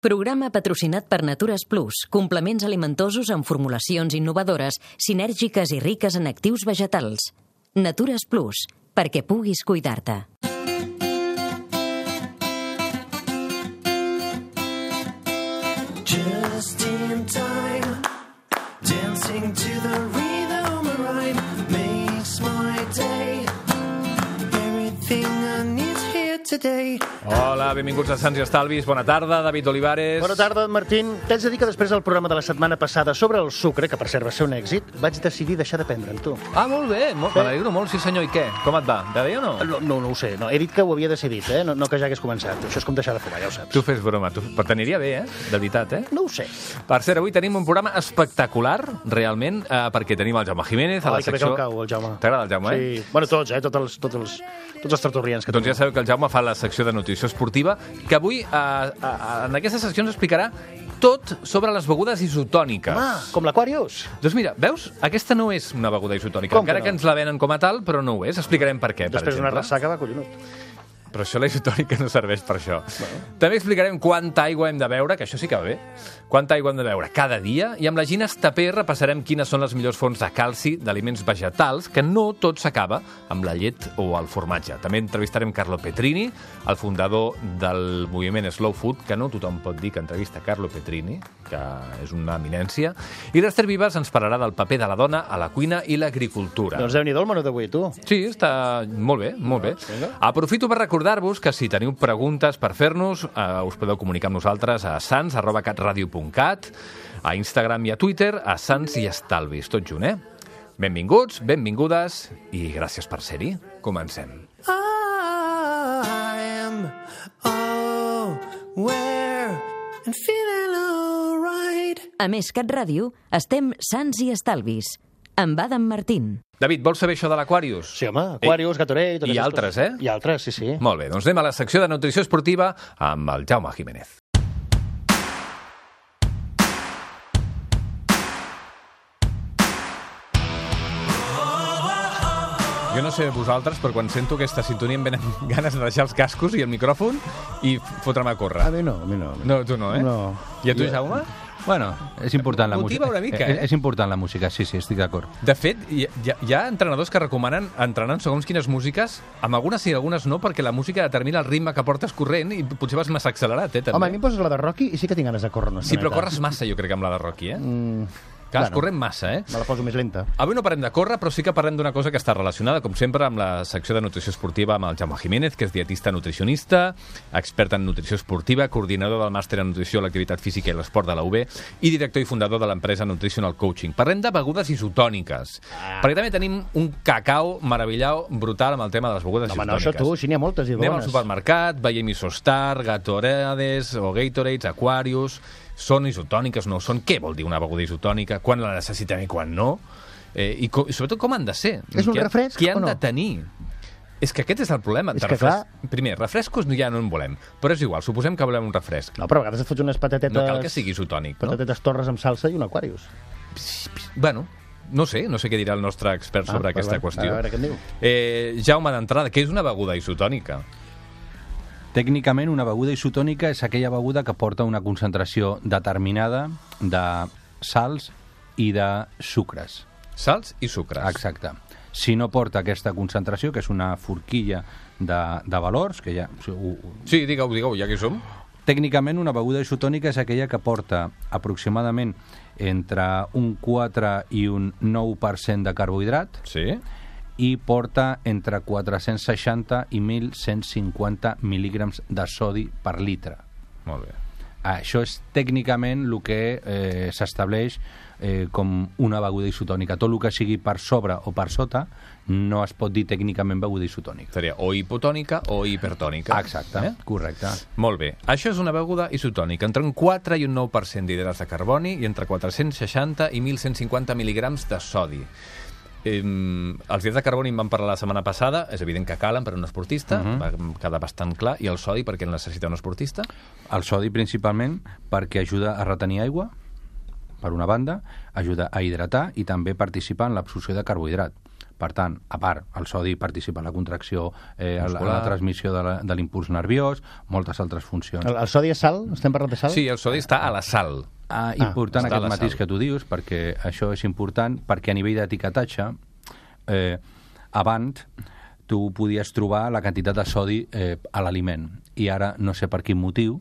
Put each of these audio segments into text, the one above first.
Programa patrocinat per Natures Plus, complements alimentosos amb formulacions innovadores, sinèrgiques i riques en actius vegetals. Natures Plus, perquè puguis cuidar-te. Just in time, dancing to the rhythm of rhyme makes my day. Everything I need here today. Hola, benvinguts a Sants i Estalvis. Bona tarda, David Olivares. Bona tarda, Martín. T'haig de dir que després del programa de la setmana passada sobre el sucre, que per cert va ser un èxit, vaig decidir deixar de prendre'n, tu. Ah, molt bé. Me n'alegro molt, sí senyor. I què? Com et va? Va bé o no? No ho sé. No. He dit que ho havia decidit, no que ja hagués començat. Això és com deixar de fumar, ja ho saps. Tu fes broma. Però t'aniria bé, De veritat, No ho sé. Per cert, avui tenim un programa espectacular, realment, perquè tenim el Jaume Jiménez a la secció... Que bé cau, el Jaume. T'agrada el Jaume, Sí. Bueno, tots, tots els tertulians que Doncs ja sabeu que el Jaume fa la secció de nutrició esportiva, que avui en aquesta secció ens explicarà tot sobre les begudes isotòniques. Com l'Aquarius. Doncs mira, veus? Aquesta no és una beguda isotònica, encara que ens la venen com a tal, però no ho és. Explicarem per què, Després per d'una exemple. ressaca va collonut. Però això, la isotònica, no serveix per això. També explicarem quanta aigua hem de beure, que això sí que va bé. Quanta aigua hem de beure cada dia. I amb la Gina Estapé repassarem quines són les millors fonts de calci d'aliments vegetals, que no tot s'acaba amb la llet o el formatge. També entrevistarem Carlo Petrini, el fundador del moviment Slow Food, que no tothom pot dir que entrevista Carlo Petrini, que és una eminència. I l'Ester Vives ens parlarà del paper de la dona a la cuina i l'agricultura. Doncs Déu-n'hi-do el menú d'avui, tu. Sí, està molt bé, molt bé. Aprofito per recordar-vos que si teniu preguntes per fer-nos, us podeu comunicar amb nosaltres a sans@catradio.cat, a Instagram i a Twitter, a Sants i Estalvis, tot junt, Benvinguts, benvingudes i gràcies per ser-hi. Comencem. I am aware and feeling alright. A més, Cat Ràdio, estem Sants i Estalvis, amb Adam Martín. David, vols saber això de l'Aquarius? Sí, home, Aquarius, Gatorade... I altres, I altres, sí. Molt bé, doncs anem a la secció de nutrició esportiva amb el Jaume Jiménez. Jo no sé vosaltres, però quan sento aquesta sintonia em venen ganes de deixar els cascos i el micròfon i fotre'm a córrer. A mi no. No, tu no, No. I a tu, Jaume? Bueno, és important la música. Motiva una mica, És important la música, sí, estic d'acord. De fet, hi ha entrenadors que recomanen entrenar en segons quines músiques, amb algunes sí, algunes no, perquè la música determina el ritme que portes corrent i potser vas massa accelerat, també. Home, a mi em poses la de Rocky i sí que tinc ganes de córrer una Sí, però estoneta. corres massa, jo crec, amb la de Rocky, Que vas corrent massa, Me la poso més lenta. Avui no parlem de córrer, però sí que parlem d'una cosa que està relacionada, com sempre, amb la secció de nutrició esportiva amb el Jaume Jiménez, que és dietista nutricionista, expert en nutrició esportiva, coordinador del màster en nutrició, l'activitat física i l'esport de la UB i director i fundador de l'empresa Nutritional Coaching. Parlem de begudes isotòniques, perquè també tenim un cacau meravellau brutal amb el tema de les begudes Home, no, isotòniques. això tu, si n'hi ha moltes i Anem al bones. supermercat, veiem Isostar, Gatorades o Gatorades, Aquarius. Són isotòniques, no són? Què vol dir una beguda isotònica? Quan la necessitem i quan no? I sobretot com han de ser? És un refresc Què han o no? de tenir? És que aquest és el problema. És que, clar... Primer, refrescos ja no en volem, però és igual, suposem que volem un refresc. No, però a vegades et fots unes patatetes... No cal que sigui isotònic, no? Patatetes torres amb salsa i un Aquarius. Bueno, no sé què dirà el nostre expert sobre aquesta qüestió. A veure què en diu. Jaume, d'entrada, què és una beguda isotònica? Tècnicament, una beguda isotònica és aquella beguda que porta una concentració determinada de sals i de sucres. Sals i sucres. Exacte. Si no porta aquesta concentració, que és una forquilla de valors, que ja... Sí, digueu, ja que hi som. Tècnicament, una beguda isotònica és aquella que porta aproximadament entre un 4 i un 9% de carbohidrat, Sí. i porta entre 460 i 1.150 mil·lígrams de sodi per litre. Molt bé. Això és tècnicament el que s'estableix com una beguda isotònica. Tot el que sigui per sobre o per sota no es pot dir tècnicament beguda isotònica. Seria o hipotònica o hipertònica. Exacte, correcte. Molt bé. Això és una beguda isotònica, entre un 4 i un 9% d'hidrats de carboni i entre 460 i 1.150 mil·lígrams de sodi. Els hidrats de carboni en vam parlar la setmana passada, és evident que calen per a un esportista, va quedar bastant clar. I el sodi, per què el necessita un esportista? El sodi principalment perquè ajuda a retenir aigua, per una banda, ajuda a hidratar i també participa en l'absorció de carbohidrat. Per tant, a part, el sodi participa en la contracció, en la transmissió de l'impuls nerviós, moltes altres funcions. El sodi és sal? Estem parlant de sal? Sí, el sodi està a la sal. Important aquest matís que tu dius, perquè això és important, perquè a nivell d'etiquetatge, abans tu podies trobar la quantitat de sodi a l'aliment, i ara, no sé per quin motiu,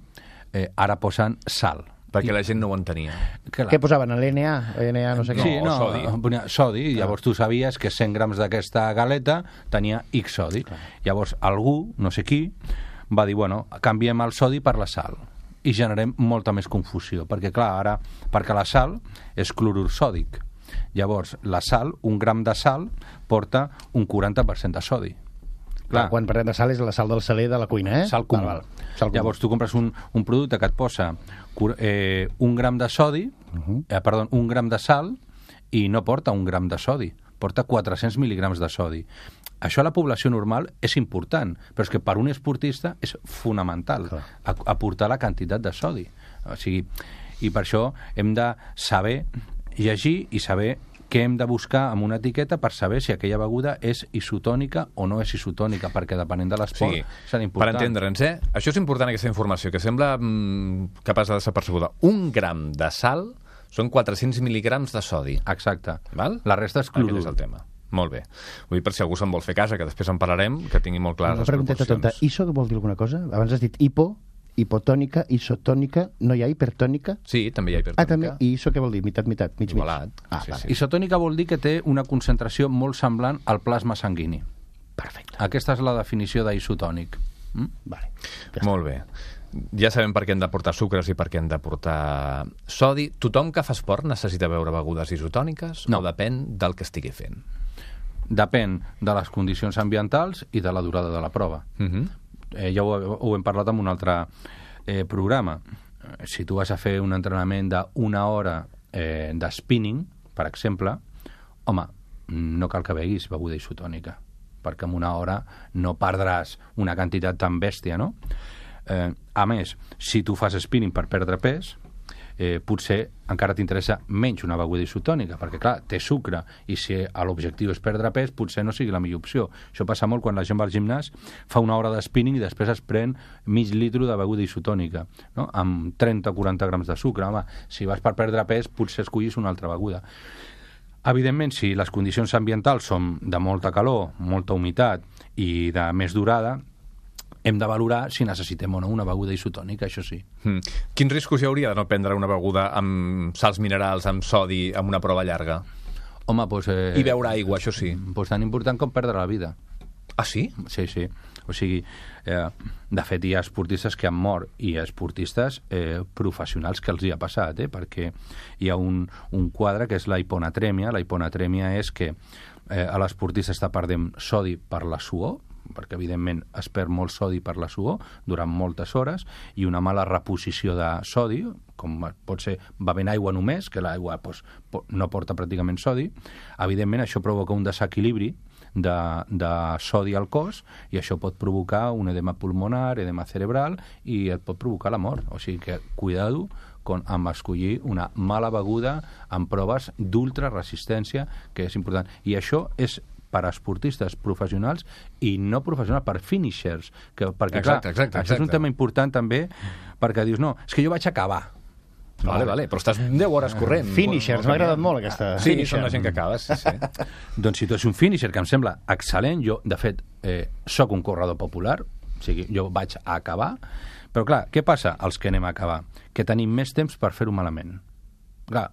ara posen sal. Perquè la gent no ho entenia. Què posaven? L'NA? no sé què? Sí, sodi. Llavors tu sabies que 100 grams d'aquesta galeta tenia X sodi. Llavors algú, no sé qui, va dir, bueno, canviem el sodi per la sal i generem molta més confusió, perquè clar, perquè la sal és clorur sòdic. Llavors, la sal, un gram de sal porta un 40% de sodi. Clar, quan parlem de sal és la sal del saler de la cuina, Sal comú. Llavors tu compres un producte que et posa un gram de sodi, un gram de sal, i no porta un gram de sodi, porta 400 mil·lígrams de sodi. Això a la població normal és important, però és que per un esportista és fonamental aportar la quantitat de sodi. O sigui, i per això hem de saber llegir i saber què hem de buscar amb una etiqueta per saber si aquella beguda és isotònica o no és isotònica, perquè depenent de l'esport serà important. Per entendre'ns, això és important, aquesta informació, que sembla que passa desapercebuda. Un gram de sal són 400 mil·lígrams de sodi. Exacte. Val? La resta és clorur. Aquest és el tema. Molt bé. Vull dir, per si algú se'n vol fer casa, que després en parlarem, que tingui molt clares les proporcions. Tonta. ISO vol dir alguna cosa? Abans has dit hipotònica, isotònica, no hi ha hipertònica? Sí, també hi ha hipertònica. També. I ISO què vol dir? Mitat, mig. Igualat. Sí. Isotònica vol dir que té una concentració molt semblant al plasma sanguini. Perfecte. Aquesta és la definició d'isotònic. Vale. Molt bé. Ja sabem per què hem de portar sucres i per què hem de portar sodi. Tothom que fa esport necessita beure begudes isotòniques o depèn del que estigui fent? Depèn de les condicions ambientals i de la durada de la prova. Ja ho hem parlat en un altre programa. Si tu vas a fer un entrenament d'una hora de spinning, per exemple, home, no cal que beguis beguda isotònica, perquè en una hora no perdràs una quantitat tan bèstia, no? A més, si tu fas spinning per perdre pes, potser encara t'interessa menys una beguda isotònica, perquè clar, té sucre, i si l'objectiu és perdre pes, potser no sigui la millor opció. Això passa molt quan la gent va al gimnàs, fa una hora de spinning i després es pren mig litre de beguda isotònica, no? Amb 30 o 40 grams de sucre. Home, si vas per perdre pes, potser escollis una altra beguda. Evidentment, si les condicions ambientals són de molta calor, molta humitat i de més durada, hem de valorar si necessitem o no una beguda isotònica, això sí. Quins riscos hi hauria de no prendre una beguda amb sals minerals, amb sodi, amb una prova llarga? Home, doncs... I beure aigua, això sí. Doncs tan important com perdre la vida. Ah, sí? Sí. O sigui, de fet, hi ha esportistes que han mort i esportistes professionals que els hi ha passat, perquè hi ha un quadre que és la hiponatrèmia. La hiponatrèmia és que l'esportista està perdent sodi per la suor, perquè evidentment es perd molt sodi per la suor durant moltes hores, i una mala reposició de sodi, com pot ser bevent aigua només, que l'aigua no porta pràcticament sodi. Evidentment això provoca un desequilibri de sodi al cos, i això pot provocar un edema pulmonar, edema cerebral, i et pot provocar la mort. O sigui que cuidado amb escollir una mala beguda en proves d'ultraresistència, que és important. I això és per a esportistes professionals i no professionals, per finishers. Perquè, exacte. Això és un tema important també, perquè dius, no, és que jo vaig acabar. Vale, però estàs 10 hores corrent. Finishers, m'ha agradat molt aquesta. Sí, són la gent que acaba, sí. Doncs si tu ets un finisher, que em sembla excel·lent, jo, de fet, sóc un corredor popular, o sigui, jo vaig a acabar, però clar, què passa als que anem a acabar? Que tenim més temps per fer-ho malament. Clar,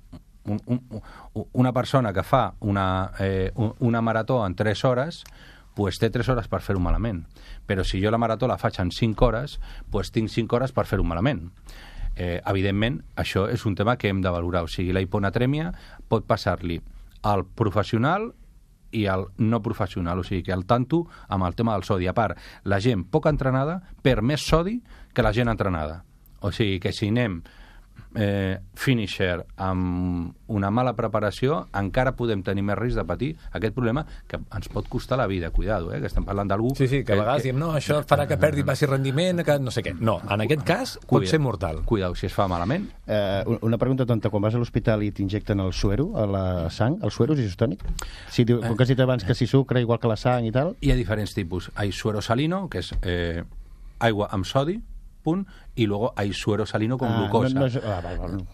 una persona que fa una marató en 3 hores, pues té 3 hores per fer-ho malament. Però si jo la marató la faig en 5 hores, pues tinc 5 hores per fer-ho malament. Evidentment, això és un tema que hem de valorar. O sigui, la hiponatrèmia pot passar-li al professional i al no professional. O sigui, que al tanto amb el tema del sodi. A part, la gent poc entrenada perd més sodi que la gent entrenada. O sigui, que si anem finisher amb una mala preparació, encara podem tenir més risc de patir aquest problema que ens pot costar la vida. Cuidado, que estem parlant d'algú... Sí, que a vegades diem, no, això farà que perdi passi rendiment, que no sé què. No, en aquest cas pot ser mortal. Cuidado, si es fa malament. Una pregunta tonta, quan vas a l'hospital i t'injecten el suero a la sang, el suero és isotònic? Sí, com que has dit abans que si sucre, igual que la sang i tal... Hi ha diferents tipus. Hay suero salino, que és aigua amb sodi, punt, i luego hay suero salino con glucosa.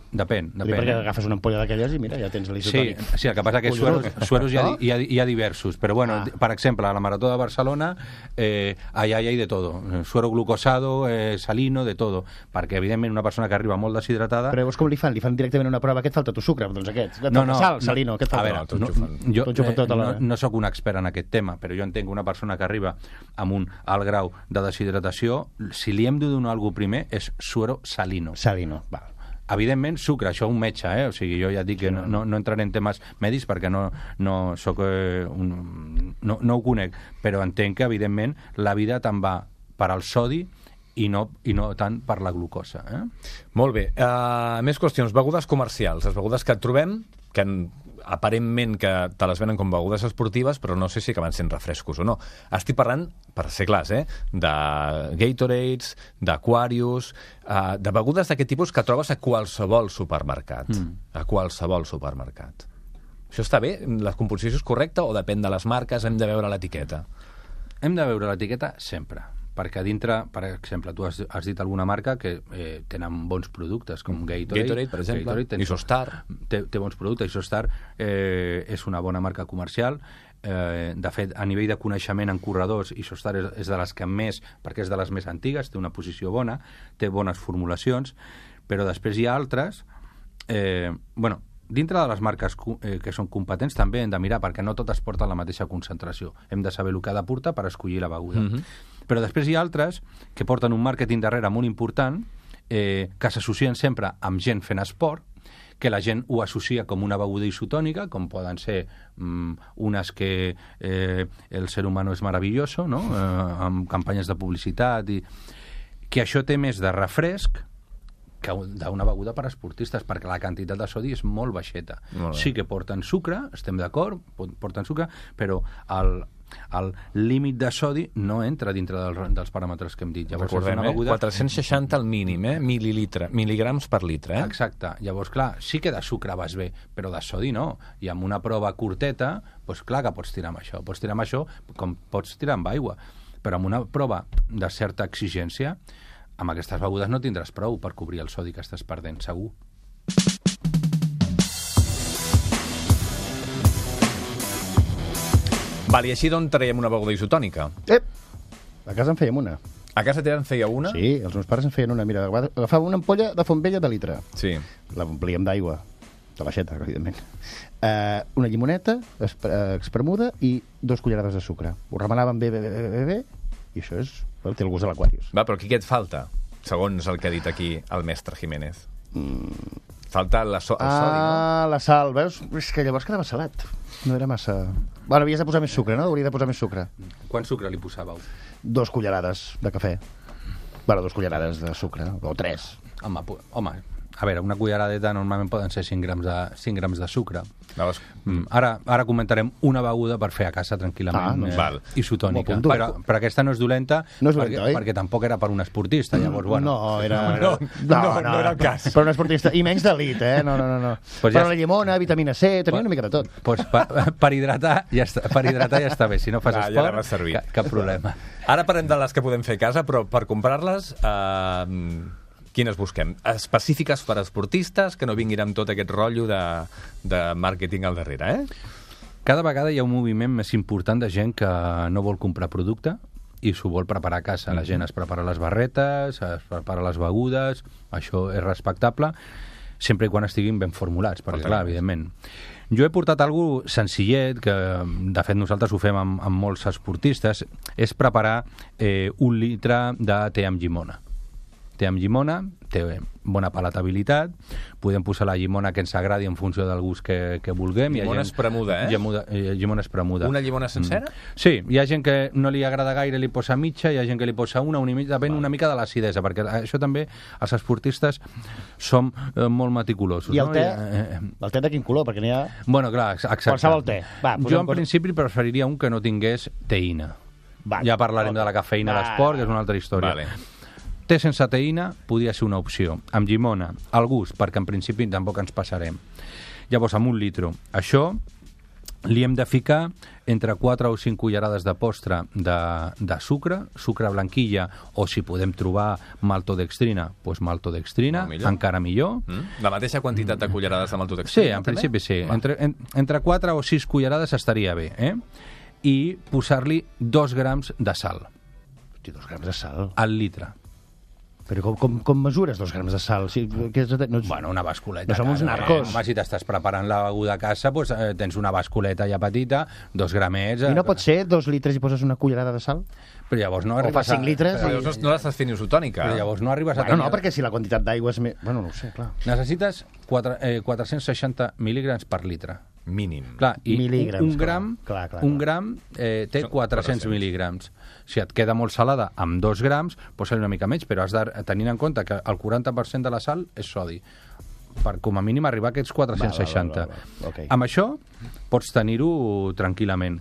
Depèn. Perquè agafes una ampolla d'aquelles i mira, ja tens l'isotònic. Sí, el que passa que sueros hi ha diversos, però bueno, per exemple, a la Marató de Barcelona allà hi ha de todo, suero glucosado, salino, de todo, perquè evidentment una persona que arriba molt deshidratada... Però llavors com li fan? Li fan directament una prova, què et falta tu sucre? Doncs aquest. Sal, salino, què et falta? Jo no sóc un expert en aquest tema, però jo entenc una persona que arriba amb un alt grau de deshidratació, si li hem de donar alguna cosa primer és suero salino. Salino, val. Evidentment, sucre, això un metge, o sigui, jo ja dic que no entraré en temes mèdics perquè no soc no ho conec, però entenc que, evidentment, la vida te'n va per al sodi i no tant per la glucosa. Molt bé. Més qüestions. Begudes comercials. Les begudes que et trobem, que aparentment que te les venen com begudes esportives, però no sé si acaben sent refrescos o no. Estic parlant, per ser clars, de Gatorades, d'Aquarius, de begudes d'aquest tipus que trobes a qualsevol supermercat. A qualsevol supermercat. Això està bé? La composició és correcta o depèn de les marques? Hem de veure l'etiqueta? Hem de veure l'etiqueta sempre, perquè dintre, per exemple, tu has dit alguna marca que tenen bons productes, com Gatorade, per exemple, Isostar. Té bons productes, Isostar és una bona marca comercial. De fet, a nivell de coneixement en corredors, Isostar és de les que més, perquè és de les més antigues, té una posició bona, té bones formulacions, però després hi ha altres... dintre de les marques que són competents també hem de mirar, perquè no totes porten la mateixa concentració. Hem de saber el que ha de portar per escollir la beguda. Però després hi ha altres que porten un màrqueting darrere molt important, que s'associen sempre amb gent fent esport, que la gent ho associa com una beguda isotònica, com poden ser unes que el ser humano és maravilloso, no? Amb campanyes de publicitat, i que això té més de refresc que d'una beguda per a esportistes, perquè la quantitat de sodi és molt baixeta. Sí que porten sucre, estem d'acord, porten sucre, però el límit de sodi no entra dintre dels paràmetres que hem dit. Llavors, recordem, 460 al mínim, mil·ligrams per litre. Exacte. Llavors, clar, sí que de sucre vas bé, però de sodi no. I amb una prova curteta, doncs clar que pots tirar amb això. Pots tirar amb això com pots tirar amb aigua. Però amb una prova de certa exigència, amb aquestes begudes no tindràs prou per cobrir el sodi que estàs perdent, segur. Val, i així d'on traiem una beguda isotònica? A casa en fèiem una. A casa teva en feia una? Sí, els meus pares en feien una. Mira, agafava una ampolla de font vella de litre. Sí. L'omplíem d'aigua, de l'aixeta, evidentment. Una llimoneta espremuda i 2 cullerades de sucre. Ho remenàvem bé, i això és... té el gust de l'Aquarius. Va, però aquí què et falta? Segons el que ha dit aquí el mestre Jiménez. Falta el sodi, no? La sal, veus? És que llavors quedava salat. No era massa... Bueno, havies de posar més sucre, no? Hauria de posar més sucre. Quant sucre li posàveu? 2 cullerades de cafè. Bueno, 2 cullerades de sucre, o 3. Home, a veure, una culleradeta normalment poden ser 5 grams de sucre. Ara comentarem una beguda per fer a casa tranquil·lament isotònica. Però aquesta no és dolenta, perquè tampoc era per un esportista. Llavors, bueno, no era el cas. Per un esportista, i menys d'elit, No. Però la llimona, vitamina C, tenia una mica de tot. Per hidratar ja està bé. Si no fas esport, cap problema. Ara parlem de les que podem fer a casa, però per comprar-les... Quines busquem? Específiques per a esportistes, que no vinguin amb tot aquest rotllo de màrqueting al darrere, Cada vegada hi ha un moviment més important de gent que no vol comprar producte i s'ho vol preparar a casa. La gent es prepara les barretes, es prepara les begudes, això és respectable, sempre i quan estiguin ben formulats, perquè, clar, evidentment. Jo he portat algo senzillet, que de fet nosaltres ho fem amb molts esportistes, és preparar 1 litre de te amb llimona. té amb llimona, té bona palatabilitat, podem posar la llimona que ens agradi en funció del gust que vulguem. Llimona espremuda, Llimona espremuda. Una llimona sencera? Sí, hi ha gent que no li agrada gaire, li posa mitja, hi ha gent que li posa una i mitja, depèn una mica de l'acidesa, perquè això també, els esportistes som molt meticulosos. I el te? El te de quin color? Perquè n'hi ha... Bueno, clar, exacte. Qualsevol te. Va, jo, en principi, preferiria un que no tingués teïna. Ja parlarem de la cafeïna a l'esport, que és una altra història. Té sense teïna podria ser una opció. Amb llimona, al gust, perquè en principi tampoc ens passarem. Llavors, amb 1 litre. Això li hem de ficar entre 4 o 5 cullerades de postre de sucre blanquilla, o si podem trobar maltodextrina, doncs maltodextrina, encara millor. La mateixa quantitat de cullerades de maltodextrina? Sí, en principi sí. Entre 4 o 6 cullerades estaria bé, i posar-li 2 grams de sal. Hosti, 2 grams de sal? Al litre. Però com mesures 2 grams de sal? Bueno, una basculeta. No som uns narcos. Home, si t'estàs preparant la beguda a casa, doncs, tens una basculeta ja petita, 2 gramets... I no pot ser 2 litres i poses una cullerada de sal? Però llavors no arribes o fa 5 litres... Però llavors no l'estàs fent isotònica. Però llavors no arribes a tenir... No, perquè si la quantitat d'aigua és més... Bueno, no ho sé, clar. Necessites 460 mil·lígrams per litre. Mínim. Clar, i un gram té 400 mil·lígrams. Si et queda molt salada amb 2 grams, posa-li una mica menys, però has de tenir en compte que el 40% de la sal és sodi, per com a mínim arribar a aquests 460. Okay. Amb això pots tenir-ho tranquil·lament.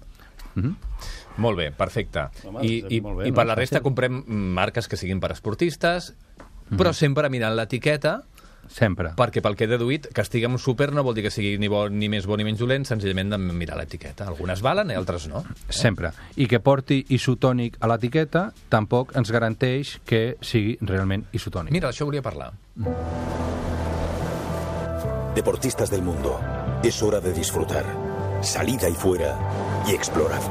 Molt bé, perfecte. I per la resta comprem marques que siguin per esportistes, però sempre mirant l'etiqueta. Sempre. Perquè pel que he deduït, que estigui en un súper no vol dir que sigui ni més bo ni menys dolent, senzillament de mirar l'etiqueta. Algunes valen i altres no. Sempre. I que porti isotònic a l'etiqueta tampoc ens garanteix que sigui realment isotònic. Mira, això volia parlar. Deportistas del mundo, es hora de disfrutar. Salid ahí fuera y explorad.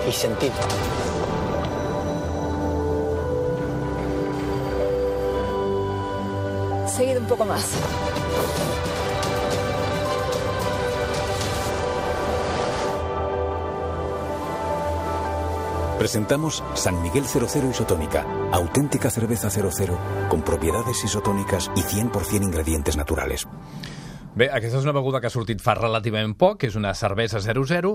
Y sentid. Seguid un poco más. Presentamos San Miguel 00 Isotónica, auténtica cerveza 00, con propiedades isotónicas y 100% ingredientes naturales. Bé, aquesta és una beguda que ha sortit fa relativament poc, que és una cervesa 00,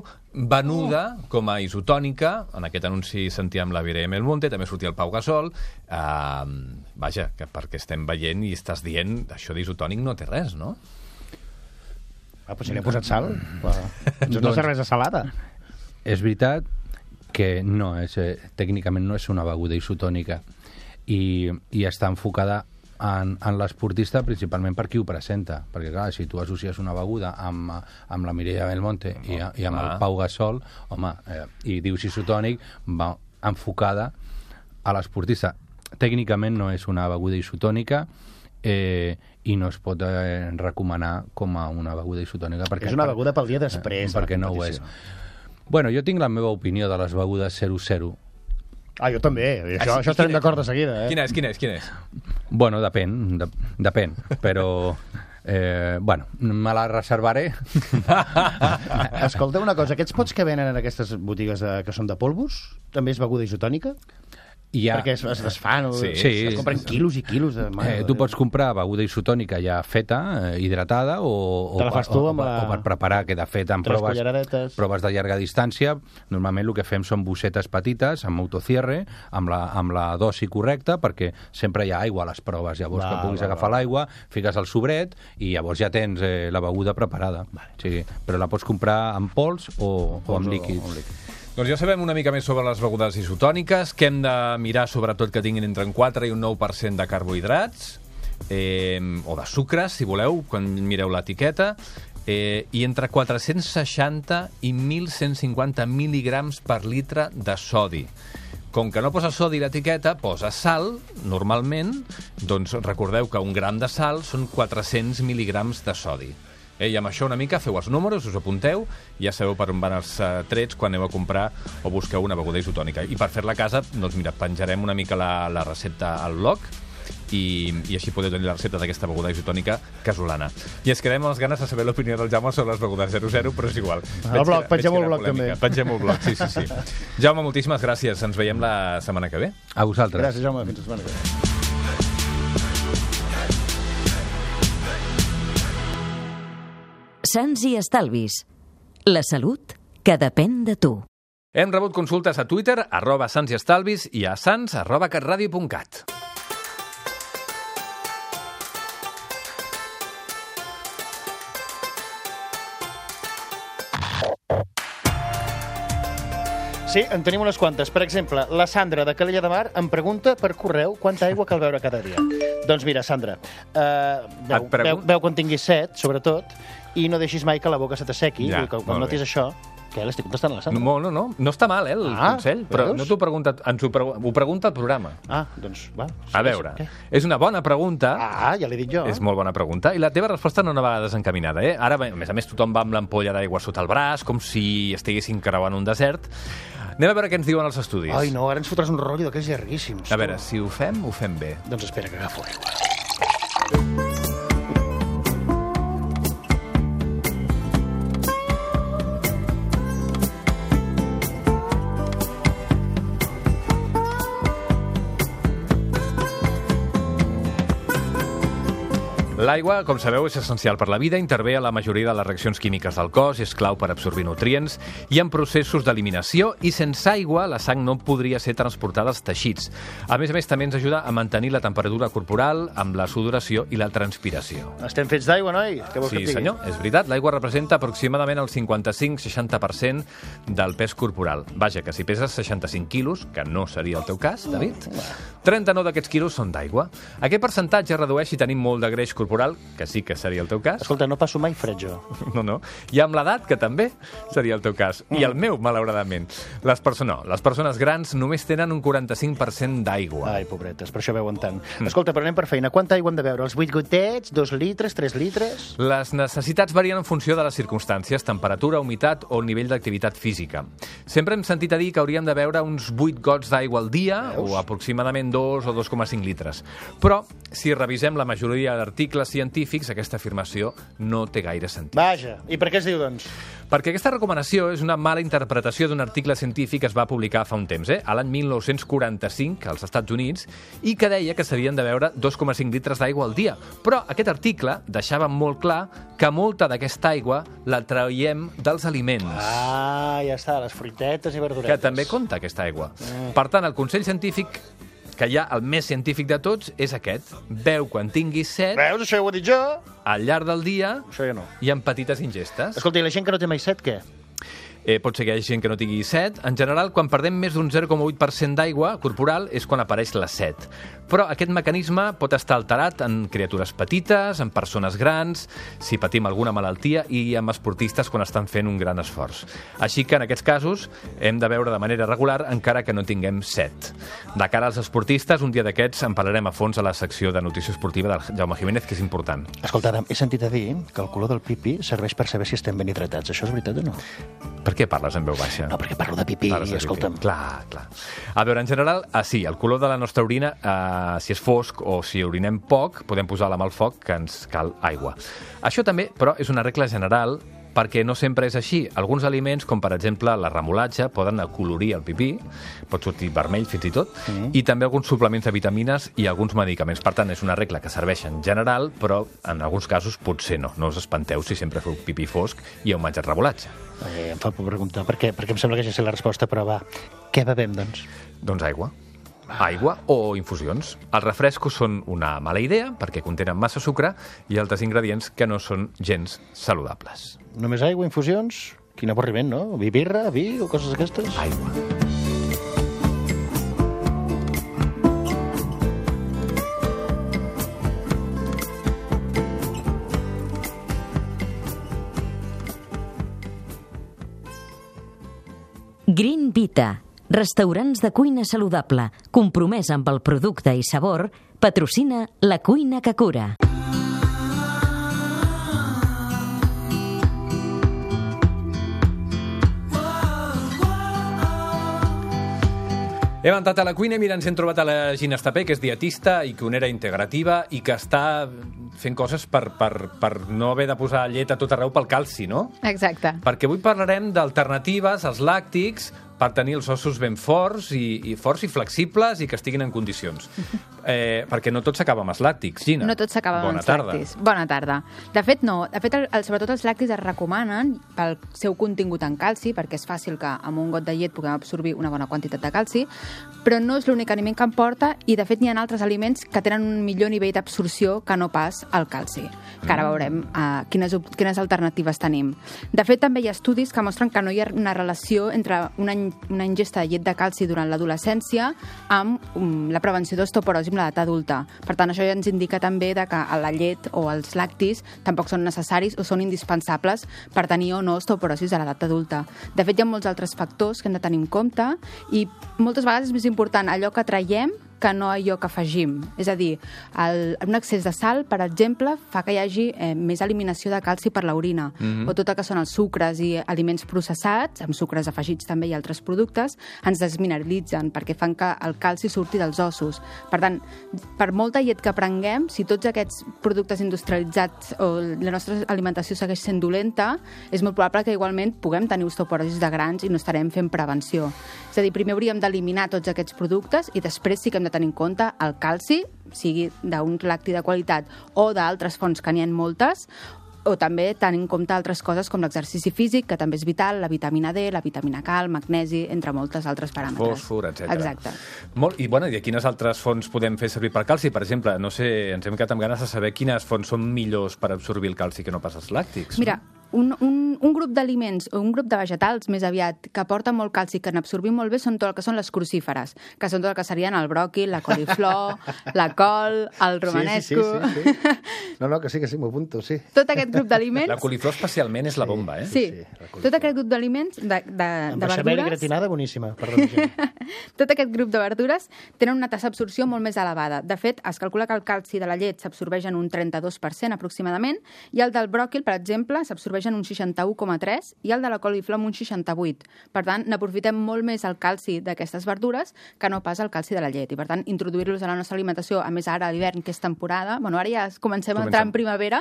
venuda com a isotònica. En aquest anunci sentíem la Mireia Belmonte, també sortia el Pau Gasol. Vaja, que perquè estem veient i estàs dient, això d'isotònic no té res, no? Però si li ha posat sal, és una cervesa salada. És veritat que no és, tècnicament no és una beguda isotònica i està enfocada en l'esportista principalment per qui ho presenta, perquè clar, si tu associes una beguda amb la Mireia Belmonte i amb el Pau Gasol, home, i dius isotònic, va enfocada a l'esportista. Tècnicament no és una beguda isotònica i no es pot recomanar com a una beguda isotònica. És una beguda pel dia després. Perquè no ho és. Bueno, jo tinc la meva opinió de les begudes 00. Jo també. Això estarem d'acord de seguida. Quina és? Bueno, depèn, però... bueno, me la reservaré. Escolta una cosa, aquests pots que venen en aquestes botigues que són de polvos, també és beguda isotònica? Perquè es desfan, es compren quilos i quilos de... Tu pots comprar beguda isotònica ja feta, hidratada, o per preparar, queda feta en proves de llarga distància. Normalment el que fem són bossetes petites, amb autocierre, amb la dosi correcta, perquè sempre hi ha aigua a les proves. Llavors que puguis agafar l'aigua, fiques el sobret i llavors ja tens la beguda preparada. Però la pots comprar en pols o amb líquids. Doncs ja sabem una mica més sobre les begudes isotòniques, que hem de mirar sobretot que tinguin entre un 4 i un 9% de carbohidrats, o de sucres, si voleu, quan mireu l'etiqueta, i entre 460 i 1.150 mil·lígrams per litre de sodi. Com que no posa sodi l'etiqueta, posa sal, normalment, doncs recordeu que un gram de sal són 400 mil·lígrams de sodi. I amb això una mica feu els números, us apunteu, ja sabeu per on van els trets quan aneu a comprar o busqueu una beguda isotònica. I per fer-la a casa, doncs mira, penjarem una mica la recepta al blog i així podeu tenir la recepta d'aquesta beguda isotònica casolana. I ens quedem amb les ganes de saber l'opinió del Jaume sobre les begudes 00, però és igual. El blog, pengem el blog també. Pengem el blog, sí. Jaume, moltíssimes gràcies. Ens veiem la setmana que ve. A vosaltres. Gràcies, Jaume. Fins la setmana que ve. Sants i estalvis. La salut que depèn de tu. Hem rebut consultes a Twitter, @sansiestalvis i a sans@catradio.cat. Sí, en tenim unes quantes. Per exemple, la Sandra de Calella de Mar em pregunta per correu quanta aigua cal beure cada dia. Doncs mira, Sandra, beu quan tinguis set, sobretot, i no deixis mai que la boca se t'assequi. Ja, Quan notis això... Què, l'estic contestant a la Sandra? No està mal, el consell, però veus? no t'ho pregunta, ho pregunta el programa. Doncs va. A veure, és una bona pregunta. Ja l'he dit jo. És molt bona pregunta. I la teva resposta no va desencaminada, eh? Ara, a més tothom va amb l'ampolla d'aigua sota el braç, com si estiguessin creuant un desert. Anem a veure què ens diuen els estudis. Ai, no, ara ens fotràs un rotllo d'aquells llarguíssims. A veure, si ho fem bé. Doncs espera, que agafo aigua. L'aigua, com sabeu, és essencial per la vida, intervé a la majoria de les reaccions químiques del cos, és clau per absorbir nutrients i en processos d'eliminació, i sense aigua la sang no podria ser transportada als teixits. A més, també ens ajuda a mantenir la temperatura corporal amb la sudoració i la transpiració. Estem fets d'aigua, noi? Què vols que et digui? Sí, senyor, és veritat. L'aigua representa aproximadament el 55-60% del pes corporal. Vaja, que si peses 65 quilos, que no seria el teu cas, David, 39 d'aquests quilos són d'aigua. Aquest percentatge es redueix si tenim molt de greix corporal, que sí que seria el teu cas. Escolta, no passo mai fred jo. No. I amb l'edat, que també seria el teu cas. I el meu, malauradament. Les persones grans només tenen un 45% d'aigua. Ai, pobretes, per això beuen tant. Escolta, però anem per feina. Quanta aigua hem de beure? Els 8 gotets, 2 litres, 3 litres? Les necessitats varien en funció de les circumstàncies, temperatura, humitat o nivell d'activitat física. Sempre hem sentit a dir que hauríem de beure uns 8 gots d'aigua al dia, o aproximadament 2 o 2,5 litres. Però, si revisem la majoria d'articles científics, aquesta afirmació no té gaire sentit. Vaja, i per què es diu, doncs? Perquè aquesta recomanació és una mala interpretació d'un article científic que es va publicar fa un temps, a l'any 1945, als Estats Units, i que deia que s'havien de beure 2,5 litres d'aigua al dia. Però aquest article deixava molt clar que molta d'aquesta aigua la traiem dels aliments. Ja està, les fruitetes i verduretes. Que també compta aquesta aigua. Per tant, el consell científic, que hi ha el més científic de tots, és aquest. Beu quan tinguis set. Veus, això ho he dit jo? Al llarg del dia. Això ja no. I en petites ingestes. Escolta, i la gent que no té mai set, què? Pot ser que hi hagi gent que no tingui set. En general, quan perdem més d'un 0,8% d'aigua corporal és quan apareix la set. Però aquest mecanisme pot estar alterat en criatures petites, en persones grans, si patim alguna malaltia i en esportistes quan estan fent un gran esforç. Així que en aquests casos hem de beure de manera regular encara que no tinguem set. De cara als esportistes, un dia d'aquests en parlarem a fons a la secció de nutrició esportiva del Jaume Jiménez, que és important. Escolta, Adam, he sentit a dir que el color del pipi serveix per saber si estem ben hidratats. Això és veritat o no? Per què parles en veu baixa? No, perquè parlo de pipí, escolta'm. Clar. A veure, en general, sí, el color de la nostra orina, si és fosc o si orinem poc, podem posar la mà al foc, que ens cal aigua. Això també, però, és una regla general, perquè no sempre és així. Alguns aliments, com per exemple la remolatxa, poden acolorir el pipí, pot sortir vermell fins i tot, i també alguns suplements de vitamines i alguns medicaments. Per tant, és una regla que serveix en general, però en alguns casos potser no. No us espanteu si sempre feu pipí fosc i heu menjat remolatxa. Em fa por preguntar, perquè em sembla que ja sé la resposta, però va, què bevem, doncs? Doncs aigua. Aigua o infusions. Els refrescos són una mala idea perquè contenen massa sucre i altres ingredients que no són gens saludables. Només aigua, infusions? Quin avorriment, no? Birra, vi o coses d'aquestes? Aigua. Green Vita, restaurants de cuina saludable, compromès amb el producte i sabor, patrocina la cuina que cura. Hem entrat a la cuina i mira, ens hem trobat a la Gina Estapé, que és dietista i cuinera integrativa i que està fent coses per no haver de posar llet a tot arreu pel calci, no? Exacte. Perquè avui parlarem d'alternatives als làctics per tenir els ossos ben forts i flexibles i que estiguin en condicions. Perquè no tot s'acaba amb els làctics, Gina. No tot s'acaba amb els làctics. Bona tarda. De fet, no. De fet, sobretot els làctics es recomanen pel seu contingut en calci, perquè és fàcil que amb un got de llet puguem absorbir una bona quantitat de calci, però no és l'únic aliment que en porta i, de fet, n'hi ha altres aliments que tenen un millor nivell d'absorció que no pas el calci. Que ara veurem quines alternatives tenim. De fet, també hi ha estudis que mostren que no hi ha una relació entre una ingesta de llet de calci durant l'adolescència amb la prevenció d'osteoporosi en l'edat adulta. Per tant, això ja ens indica també que la llet o els làctics tampoc són necessaris o són indispensables per tenir o no osteoporosi a l'edat adulta. De fet, hi ha molts altres factors que hem de tenir en compte i moltes vegades és més important allò que traiem que no allò que afegim. És a dir, un excés de sal, per exemple, fa que hi hagi més eliminació de calci per l'orina. O tot el que són els sucres i aliments processats, amb sucres afegits també i altres productes, ens desmineralitzen perquè fan que el calci surti dels ossos. Per tant, per molta llet que prenguem, si tots aquests productes industrialitzats o la nostra alimentació segueix sent dolenta, és molt probable que igualment puguem tenir osteoporosi de grans i no estarem fent prevenció. És a dir, primer hauríem d'eliminar tots aquests productes i després sí que hem de tenir en compte el calci, sigui d'un làctic de qualitat o d'altres fonts que n'hi ha moltes, o també tenir en compte altres coses com l'exercici físic, que també és vital, la vitamina D, la vitamina K, el magnesi, entre moltes altres paràmetres. Fòsfor, etc. Exacte. I quines altres fonts podem fer servir per calci? Per exemple, no sé, ens hem quedat amb ganes de saber quines fonts són millors per absorbir el calci que no pas els làctics. Mira, un grup d'aliments o un grup de vegetals més aviat que aporten molt calci i que n'absorbim molt bé són tot el que són les crucíferes, que són tot el que serien el bròquil, la coliflor, la col, el romanesco... Sí. No, que sí, m'ho apunto, sí. Tot aquest grup d'aliments... La coliflor especialment és la bomba, eh? Sí. Tot aquest grup d'aliments, de verdures... Amb beixamel i gratinada, boníssima. Tot aquest grup de verdures tenen una tassa d'absorció molt més elevada. De fet, es calcula que el calci de la llet s'absorbeix en un 32% aproximadament i el del bròquil, per exemple, s'absorbeix en un 61,3 i el de la coliflor en un 68. Per tant, n'aprofitem molt més el calci d'aquestes verdures que no pas el calci de la llet. I, per tant, introduir-los a la nostra alimentació, a més ara a l'hivern, que és temporada, bueno, ara ja comencem a entrar en primavera,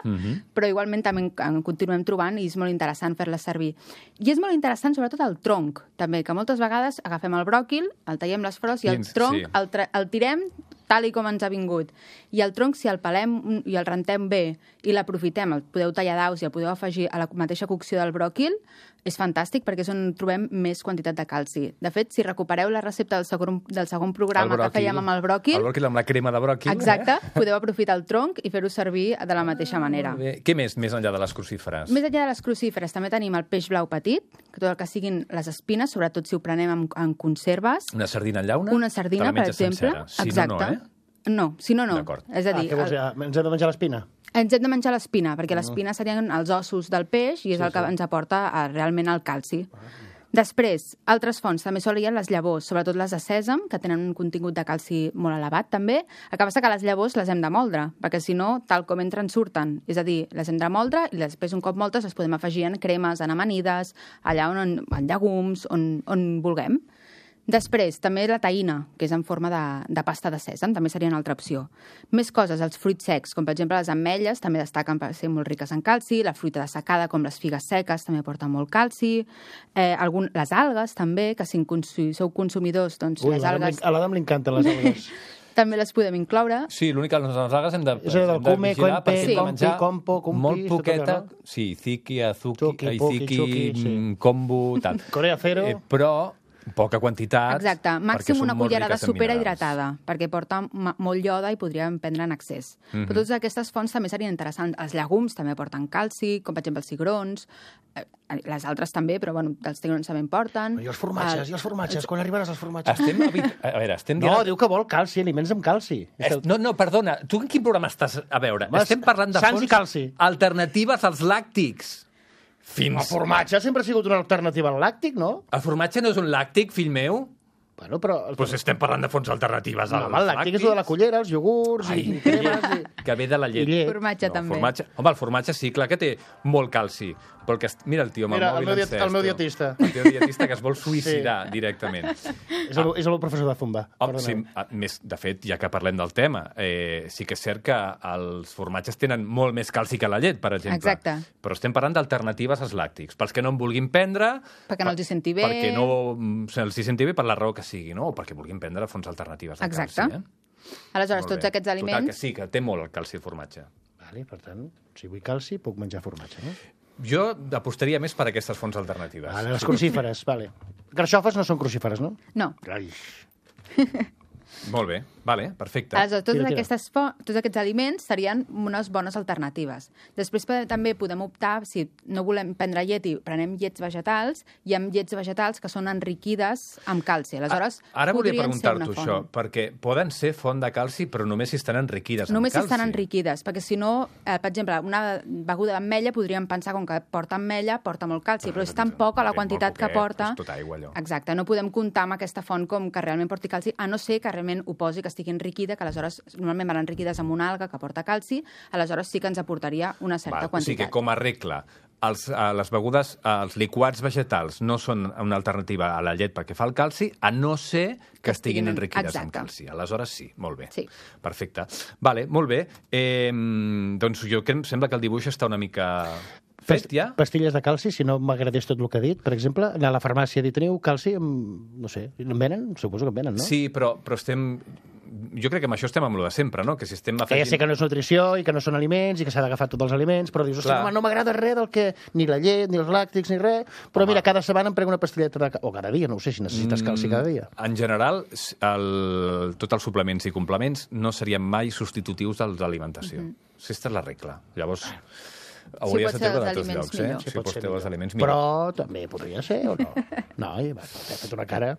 però igualment també en continuem trobant i és molt interessant fer-les servir. I és molt interessant, sobretot, el tronc, també, que moltes vegades agafem el bròquil, el tallem les flors i el tronc el tirem tal i com ens ha vingut. I el tronc, si el pelem i el rentem bé i l'aprofitem, el podeu tallar daus i el podeu afegir a la mateixa cocció del bròquil, és fantàstic perquè és on trobem més quantitat de calci. De fet, si recupereu la recepta del segon programa que fèiem amb el bròquil... El bròquil amb la crema de bròquil. Exacte, podeu aprofitar el tronc i fer-ho servir de la mateixa manera. Què més enllà de les crucíferes? Més enllà de les crucíferes també tenim el peix blau petit, que tot el que siguin les espines, sobretot si ho prenem en conserves. Una sardina en llauna? Una sardina, per exemple. Si no, no, si no, no. És a dir, què vols dir? Ens hem de menjar l'espina? Ens hem de menjar l'espina, perquè l'espina serien els ossos del peix i és el que ens aporta realment el calci. Després, altres fonts també solien les llavors, sobretot les de sèsam, que tenen un contingut de calci molt elevat també. El que passa que les llavors les hem de moldre, perquè si no, tal com entren, surten. És a dir, les hem de moldre i després, un cop moltes, les podem afegir en cremes, en amanides, allà en llegums, on vulguem. Després, també la taïna, que és en forma de pasta de sèsam, també seria una altra opció. Més coses, els fruits secs, com per exemple les ametlles, també destaquen per ser molt riques en calci, la fruita dessecada, com les figues seques, també aporta molt calci, les algues, també, que si sou consumidors, doncs les algues... A l'Adam li encanten les algues. També les podem incloure. Sí, l'únic que les algues hem de vigilar perquè menjar molt poqueta, sí, ziki, kombu, tal. Corea cero. Però poca quantitat. Exacte, màxim una cullerada superhidratada, perquè porta molt ioda i podríem prendre en excés. Però totes aquestes fonts també serien interessants. Els llegums també porten calci, com per exemple els cigrons, les altres també, però bueno, els cigrons també en porten. I els formatges, quan arribaràs als formatges? No, diu que vol calci, aliments amb calci. No, perdona, tu en quin programa estàs a veure? Estem parlant de fonts alternatives als làctics. El formatge sempre ha sigut una alternativa al làctic, no? El formatge no és un làctic, fill meu? Bueno, però... Pues estem parlant de fonts alternatives als làctics. El làctic és el de la cullera, els iogurts i cremes... Que ve de la llet. Formatge també. Home, el formatge sí, clar que té molt calci, Però mira el tio amb el mòbil encès. El meu dietista. El tio dietista que es vol suïcidar directament. És el meu professor de Zumba. Sí, de fet, ja que parlem del tema, sí que és cert que els formatges tenen molt més calci que la llet, per exemple. Exacte. Però estem parlant d'alternatives als làctics. Pels que no en vulguin prendre... Perquè no els hi senti bé. Perquè no se'ls hi senti bé per la raó que sigui, no? O perquè vulguin prendre fonts alternatives de calci. Aleshores, tots aquests aliments... Total, que sí, que té molt el calci el formatge. Vale, per tant, si vull calci, puc menjar formatge, no? Jo apostaria més per aquestes fonts alternatives. Vale, les crucíferes, vale. Carxofes no són crucíferes, no? No. Ai. Molt bé, vale, perfecte. Aleshores, tots aquests aliments serien unes bones alternatives. Després també podem optar, si no volem prendre llet i prenem llets vegetals, hi ha llets vegetals que són enriquides amb calci. Aleshores, ara volia preguntar-t'ho això, perquè poden ser font de calci, però només si estan enriquides amb calci. Només si estan enriquides, perquè si no, per exemple, una beguda d'ametlla podríem pensar, com que porta ametlla, porta molt calci, però és tan poca la quantitat que porta... És tot aigua, allò. Exacte, no podem comptar amb aquesta font com que realment porti calci, a no ser que realment ho posi que estigui enriquida, que aleshores normalment van enriquides amb una alga que porta calci, aleshores sí que ens aportaria una certa quantitat. O sigui que, com a regla, les begudes, els liquats vegetals no són una alternativa a la llet perquè fa el calci, a no ser que estiguin enriquides amb calci. Aleshores sí, molt bé. Sí. Perfecte. Vale, molt bé. Doncs jo em sembla que el dibuix està una mica... Pastilles de calci, si no m'agradés tot el que ha dit, per exemple, anar a la farmàcia i dir, teniu calci, no sé, en venen? Suposo que en venen, no? Sí, però estem... Jo crec que amb això estem amb lo de sempre, no? Que si estem afegint... Que ja sé que no és nutrició i que no són aliments i que s'ha d'agafar tots els aliments, però dius, no m'agrada res del que... Ni la llet, ni els làctics, ni res, però mira, cada setmana em prenc una pastilleta de calci. O cada dia, no ho sé, si necessites calci cada dia. En general, tots els suplements i complements no serien mai substitutius dels d'alimentació. Aquesta és la regla. Llavors... Hauries de treure de tots llocs, si pots treure els aliments millor. Però també podria ser, o no? No, t'he fet una cara...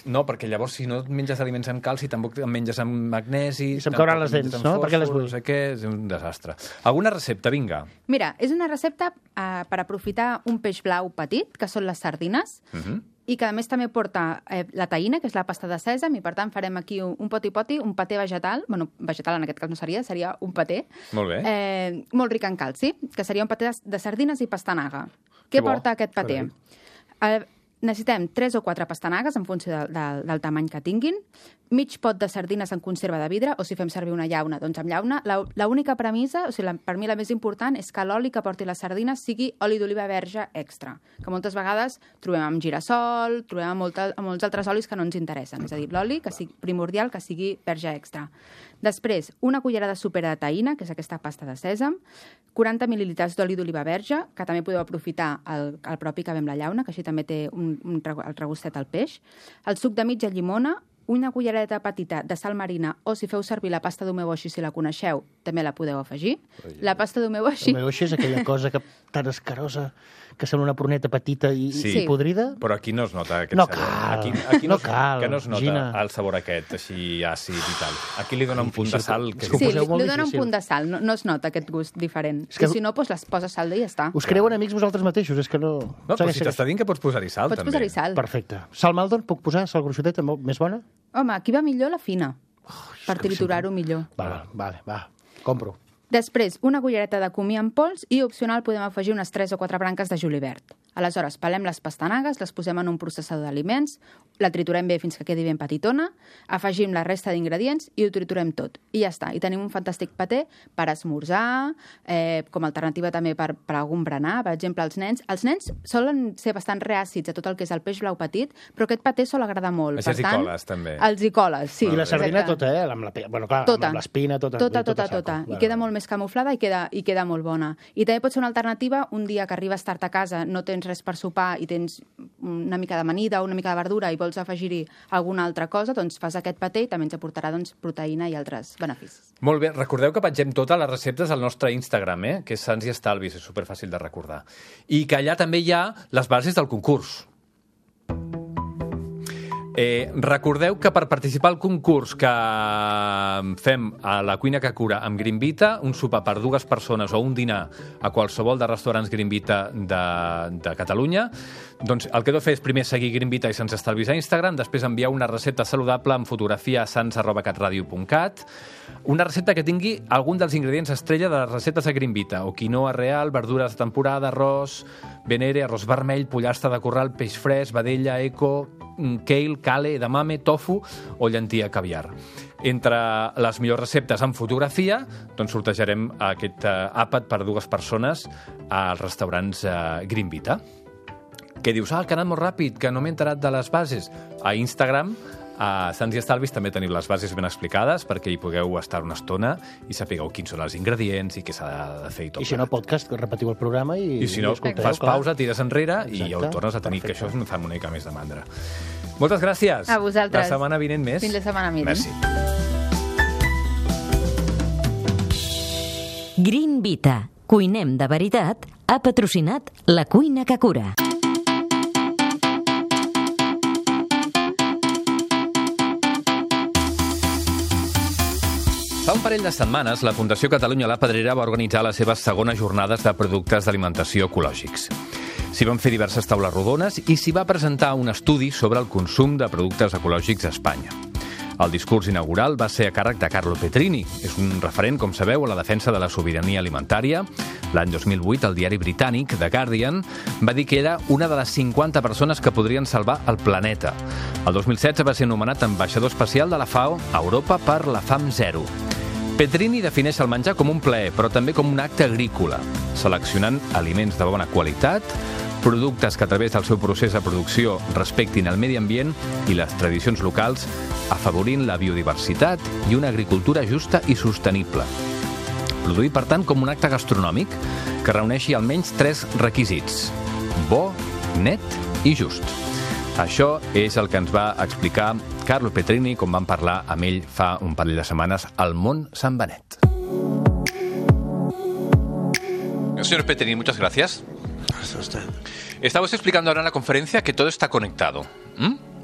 No, perquè llavors si no et menges aliments amb calci, tampoc en menges amb magnesi... I se'm cauran les dents, no? Per què les vull? No sé què, és un desastre. Alguna recepta, vinga. Mira, és una recepta per aprofitar un peix blau petit, que són les sardines, i que a més també porta la taïna, que és la pasta de sèsam, i per tant farem aquí un poti-poti, un paté vegetal, bueno, vegetal en aquest cas no seria un paté, molt bé. Molt ric en calci, que seria un paté de sardines i pastanaga. Què porta aquest paté? Necessitem 3 o 4 pastanagues en funció del tamany que tinguin, mig pot de sardines en conserva de vidre, o si fem servir una llauna, doncs amb llauna. L'única premissa, o sigui, per mi la més important, és que l'oli que porti les sardines sigui oli d'oliva verge extra, que moltes vegades trobem amb girassol, trobem amb molts altres olis que no ens interessen, és a dir, l'oli que sigui primordial que sigui verge extra. Després, una cullerada sopera de taïna, que és aquesta pasta de sèsam, 40 mil·lilitres d'oli d'oliva verge, que també podeu aprofitar el propi que ve amb la llauna, que així també té el regustet al peix, el suc de mitja llimona, una cullereta petita de sal marina, o si feu servir la pasta d'umeoshi, si la coneixeu, també la podeu afegir. La pasta d'umeoshi... L'umeoshi és aquella cosa tan escarosa que sembla una pruneta petita i podrida. Però aquí no es nota aquest sabor. Aquí no cal, que no es nota Gina. El sabor aquest, així àcid i tal. Aquí li dona un punt de sal. Sí, li dona un punt de sal, no es nota aquest gust diferent. I si no, doncs les poses sal i ja està. Us creuen amics vosaltres mateixos, és que no... No, però si t'està dint que pots posar-hi sal, també. Pots posar-hi sal. Perfecte. Sal Maldon, puc posar sal gruixoteta, més bona? Home, aquí va millor la fina, per triturar-ho millor. Va, compro. Després, una cullereta de comí en pols i, opcional, podem afegir unes 3 o 4 branques de julivert. Aleshores, pelem les pastanagues, les posem en un processador d'aliments, la triturem bé fins que quedi ben petitona, afegim la resta d'ingredients i ho triturem tot. I ja està. I tenim un fantàstic paté per esmorzar, com a alternativa també per algun berenar. Per exemple, els nens solen ser bastant reàcids a tot el que és el peix blau petit, però aquest paté sol agradar molt. Això és icoles, també. Els icoles, sí. I la sardina tota, amb l'espina, tota. Tota. I queda molt més camuflada i queda molt bona. I també pot ser una alternativa un dia que arribes tard a casa, no tens res per sopar i tens una mica d'amanida o una mica de verdura i vols afegir-hi alguna altra cosa, doncs fas aquest paté i també ens aportarà proteïna i altres beneficis. Molt bé, recordeu que pengem totes les receptes al nostre Instagram, que és Sants i Estalvis, és superfàcil de recordar. I que allà també hi ha les bases del concurs. Recordeu que per participar al concurs que fem a la Cuina que Cura amb Greenvita, un sopar per 2 persones o un dinar a qualsevol de restaurants Greenvita de Catalunya, doncs el que heu de fer és primer seguir Greenvita i Sants Estalvis a Instagram, després enviar una recepta saludable amb fotografia a sans@catradio.cat. una recepta que tingui algun dels ingredients estrella de les receptes de Greenvita, o quinoa real, verdures de temporada, arròs, venere, arròs vermell, pollastre de corral, peix fresc, vedella, eco, kale, kale, edamame, tofu o llentia caviar. Entre les millors receptes en fotografia, doncs sortejarem aquest àpat per 2 persones als restaurants Greenvita. Què dius? Que ha anat molt ràpid, que no m'he enterat de les bases. A Instagram, a Sants i Estalvis, també teniu les bases ben explicades perquè hi pugueu estar una estona i sapigueu quins són els ingredients i què s'ha de fer i tot. I si no, podcast, repetiu el programa i si no, escolteu, fas pausa, tires enrere i ja ho tornes a tenir, que això em fa una mica més de mandra. Moltes gràcies. A vosaltres. La setmana vinent més. Fins la setmana vinent. Merci. Greenvita, cuinem de veritat, ha patrocinat La Cuina que Cura. Fa un parell de setmanes, la Fundació Catalunya La Pedrera va organitzar les seves segones jornades de productes d'alimentació ecològics. S'hi van fer diverses taules rodones i s'hi va presentar un estudi sobre el consum de productes ecològics a Espanya. El discurs inaugural va ser a càrrec de Carlo Petrini. És un referent, com sabeu, a la defensa de la sobirania alimentària. L'any 2008, el diari britànic The Guardian va dir que era una de les 50 persones que podrien salvar el planeta. El 2016 va ser nomenat ambaixador especial de la FAO a Europa per la Fam Zero. Petrini defineix el menjar com un plaer, però també com un acte agrícola, seleccionant aliments de bona qualitat, productes que a través del seu procés de producció respectin el medi ambient i les tradicions locals, afavorint la biodiversitat i una agricultura justa i sostenible. Produir, per tant, com un acte gastronòmic que reuneixi almenys 3 requisits: bo, net i just. Això és el que ens va explicar Carlo Petrini quan vam parlar amb ell fa un parell de setmanes al Mont Sant Benet. Señor Petrini, muchas gracias. Gracias a usted. Estamos explicando ahora en la conferencia que todo está conectado.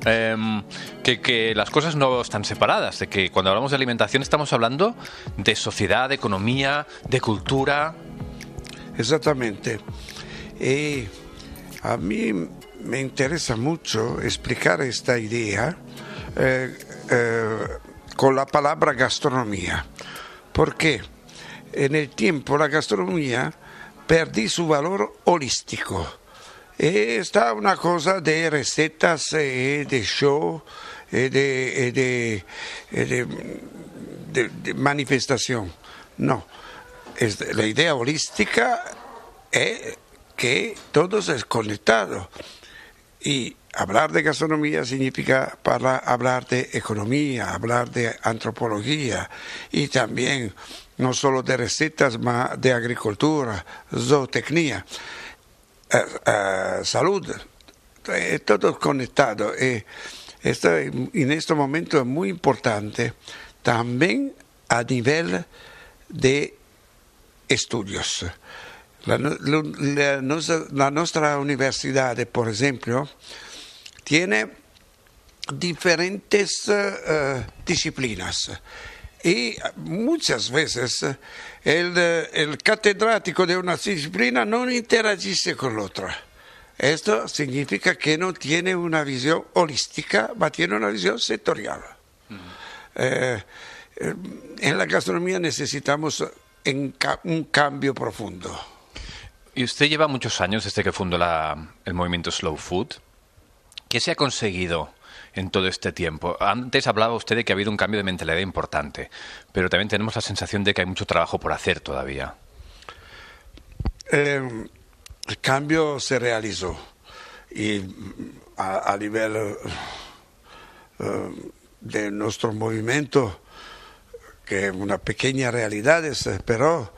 Que las cosas no están separadas, de que cuando hablamos de alimentación estamos hablando de sociedad, de economía, de cultura. Exactamente. A mí me interesa mucho explicar esta idea con la palabra gastronomía, porque en el tiempo la gastronomía perdí su valor holístico. Está una cosa de recetas, de show, de manifestación. No, la idea holística es que todo es conectado. Y hablar de gastronomía significa hablar de economía, hablar de antropología y también no solo de recetas, sino de agricultura, zootecnia, salud, todo conectado. Esto en este momento es muy importante también a nivel de estudios. La nuestra universidad, por ejemplo, tiene diferentes disciplinas y muchas veces el catedrático de una disciplina no interagisse con la otra. Esto significa que no tiene una visión holística, pero tiene una visión sectorial. En la gastronomía necesitamos un cambio profundo. Y usted lleva muchos años desde que fundó el movimiento Slow Food. ¿Qué se ha conseguido en todo este tiempo? Antes hablaba usted de que ha habido un cambio de mentalidad importante, pero también tenemos la sensación de que hay mucho trabajo por hacer todavía. El cambio se realizó y a nivel de nuestro movimiento, que es una pequeña realidad, pero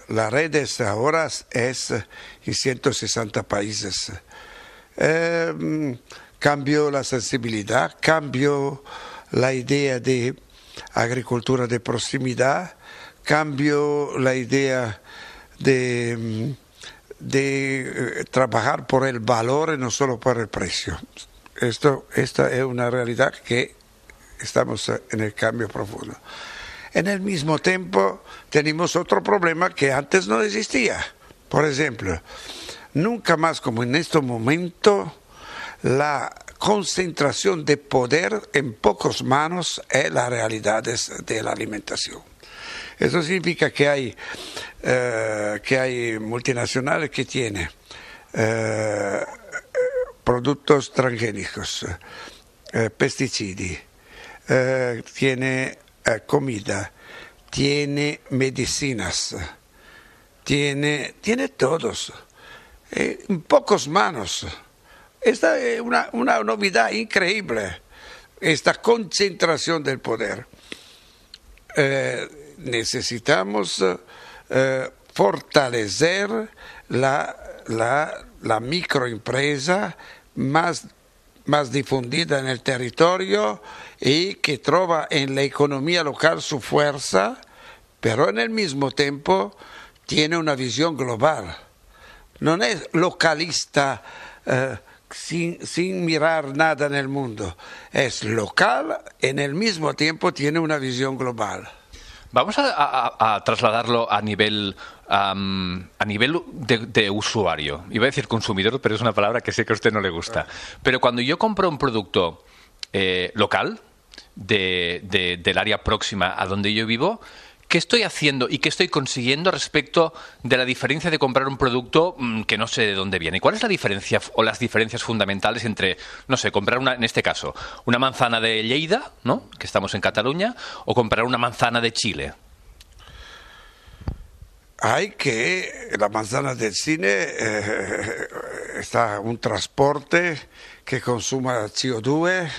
las redes ahora es en 160 países. Cambió la sensibilidad, cambió la idea de agricultura de proximidad, cambió la idea de trabajar por el valor y no solo por el precio. Esta es una realidad que estamos en el cambio profundo. En el mismo tiempo tenemos otro problema que antes no existía. Por ejemplo, nunca más como en este momento la concentración de poder en pocas manos es la realidad de la alimentación. Eso significa que hay multinacionales que tienen productos transgénicos, pesticidas, tiene comida, tiene medicinas, tiene todos, en pocas manos. Esta es una novedad increíble, esta concentración del poder. Necesitamos fortalecer la microempresa más difundida en el territorio y que trova en la economía local su fuerza, pero en el mismo tiempo tiene una visión global. No es localista sin mirar nada en el mundo. Es local, en el mismo tiempo tiene una visión global. Vamos a trasladarlo a nivel de usuario. Iba a decir consumidor, pero es una palabra que sé que a usted no le gusta. Pero cuando yo compro un producto local del área próxima a donde yo vivo, ¿qué estoy haciendo y qué estoy consiguiendo respecto de la diferencia de comprar un producto que no sé de dónde viene? ¿Cuál es la diferencia o las diferencias fundamentales entre, no sé, comprar en este caso, una manzana de Lleida, ¿no?, que estamos en Cataluña, o comprar una manzana de Chile? La manzana del Chile está un transporte que consuma CO2.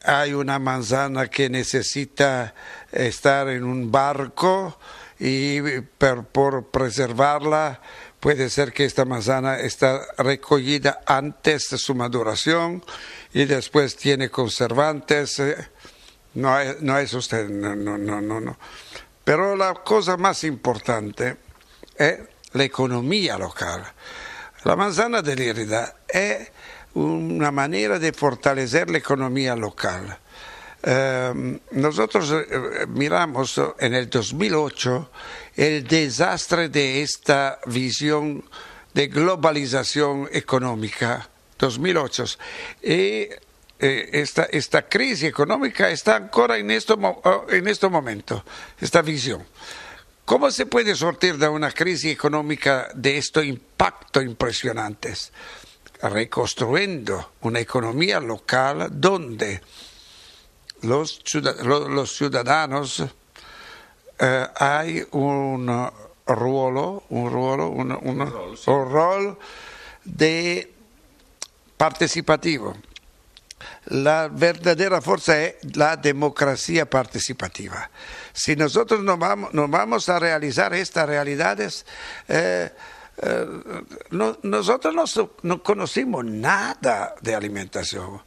Hay una manzana que necesita estar en un barco y por preservarla puede ser que esta manzana está recogida antes de su maduración y después tiene conservantes. No es usted, no. Pero la cosa más importante es la economía local. La manzana de Lérida es una manera de fortalecer la economía local. Nosotros miramos en el 2008 el desastre de esta visión de globalización económica, 2008, y esta crisis económica está ancora en este momento, esta visión. ¿Cómo se puede sortir de una crisis económica de estos impactos impresionantes? Reconstruyendo una economía local donde los ciudadanos hay un rol de participativo. La verdadera fuerza es la democracia participativa. Si nosotros no vamos a realizar estas realidades, nosotros no conocimos nada de alimentación,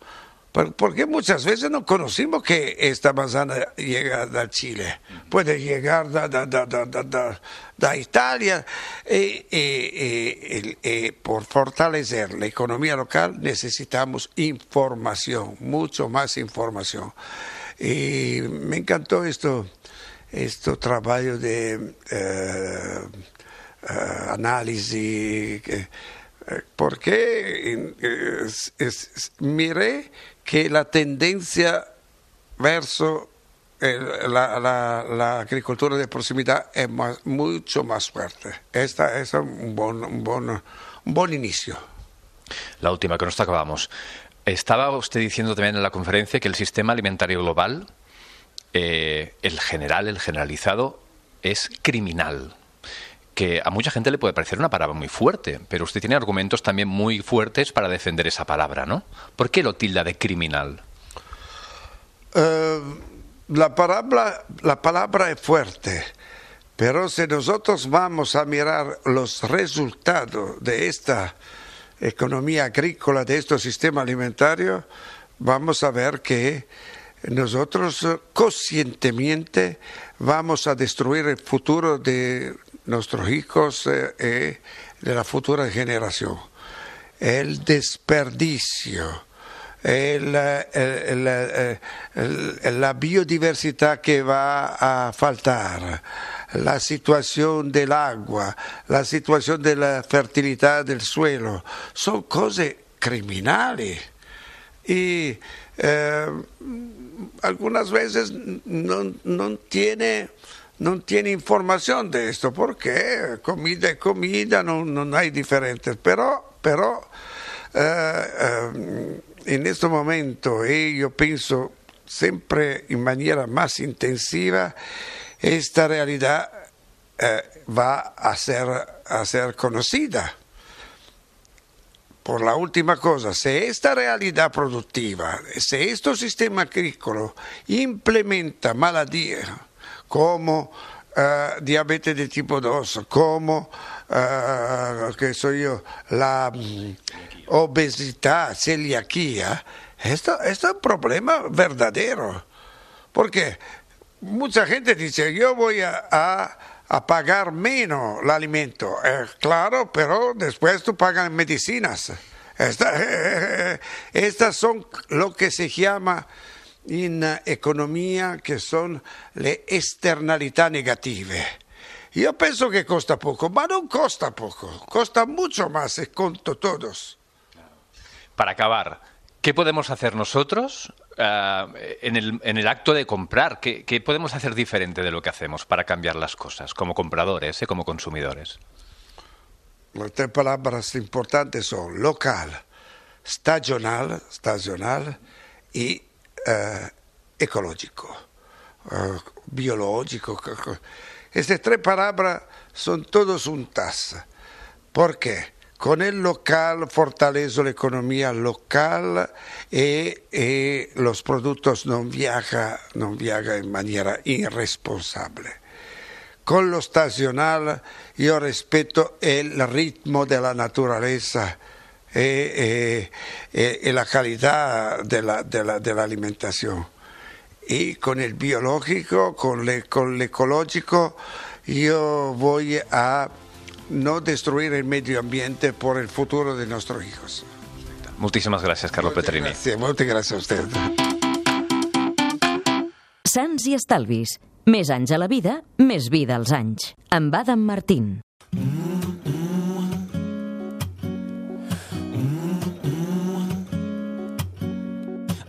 porque muchas veces no conocimos que esta manzana llega de Chile, puede llegar de Italia, y por fortalecer la economía local necesitamos información, mucho más información. Y me encantó este trabajo de análisis, porque miré que la tendencia verso la agricultura de proximidad es mucho más fuerte. Esta es un buen inicio. La última, con esta acabamos. Estaba usted diciendo también en la conferencia que el sistema alimentario global, el generalizado, es criminal. Que a mucha gente le puede parecer una palabra muy fuerte, pero usted tiene argumentos también muy fuertes para defender esa palabra, ¿no? ¿Por qué lo tilda de criminal? La palabra es fuerte, pero si nosotros vamos a mirar los resultados de esta economía agrícola, de este sistema alimentario, vamos a ver que nosotros conscientemente vamos a destruir el futuro de nuestros hijos y de la futura generación. El desperdicio, la biodiversidad que va a faltar, la situación del agua, la situación de la fertilidad del suelo, son cosas criminales. y algunas veces no tiene información de esto, porque comida es comida, no hay diferentes, pero en este momento, yo pienso siempre en manera más intensiva, esta realidad va a ser conocida. Por la última cosa, si esta realidad productiva, si este sistema agrícola implementa malattías como diabetes de tipo 2, como la obesidad, celiaquía, esto es un problema verdadero. Porque mucha gente dice, yo voy a pagar menos el alimento. Claro, pero después tú pagas medicinas. Estas son lo que se llama en economía, que son le externalità negative. Yo pienso que costa poco, pero no costa poco, costa mucho más conto todos. Para acabar, ¿qué podemos hacer nosotros en el acto de comprar? ¿Qué podemos hacer diferente de lo que hacemos para cambiar las cosas, como compradores, como consumidores? Las tres palabras importantes son local, estacional y ecológico, biológico. Estas tres palabras son todas juntas. ¿Por qué? Con el local fortalezco la economía local y los productos no viajan en manera irresponsable. Con lo estacional yo respeto el ritmo de la naturaleza y la calidad de la alimentación. Y con el biológico, con el ecológico, yo voy a no destruir el medio ambiente por el futuro de nuestros hijos. Moltíssimes gràcies, Carlo Petrini. Moltes gràcies a usted. Sants i estalvis. Més anys a la vida, més vida als anys. Amb Adam Martín.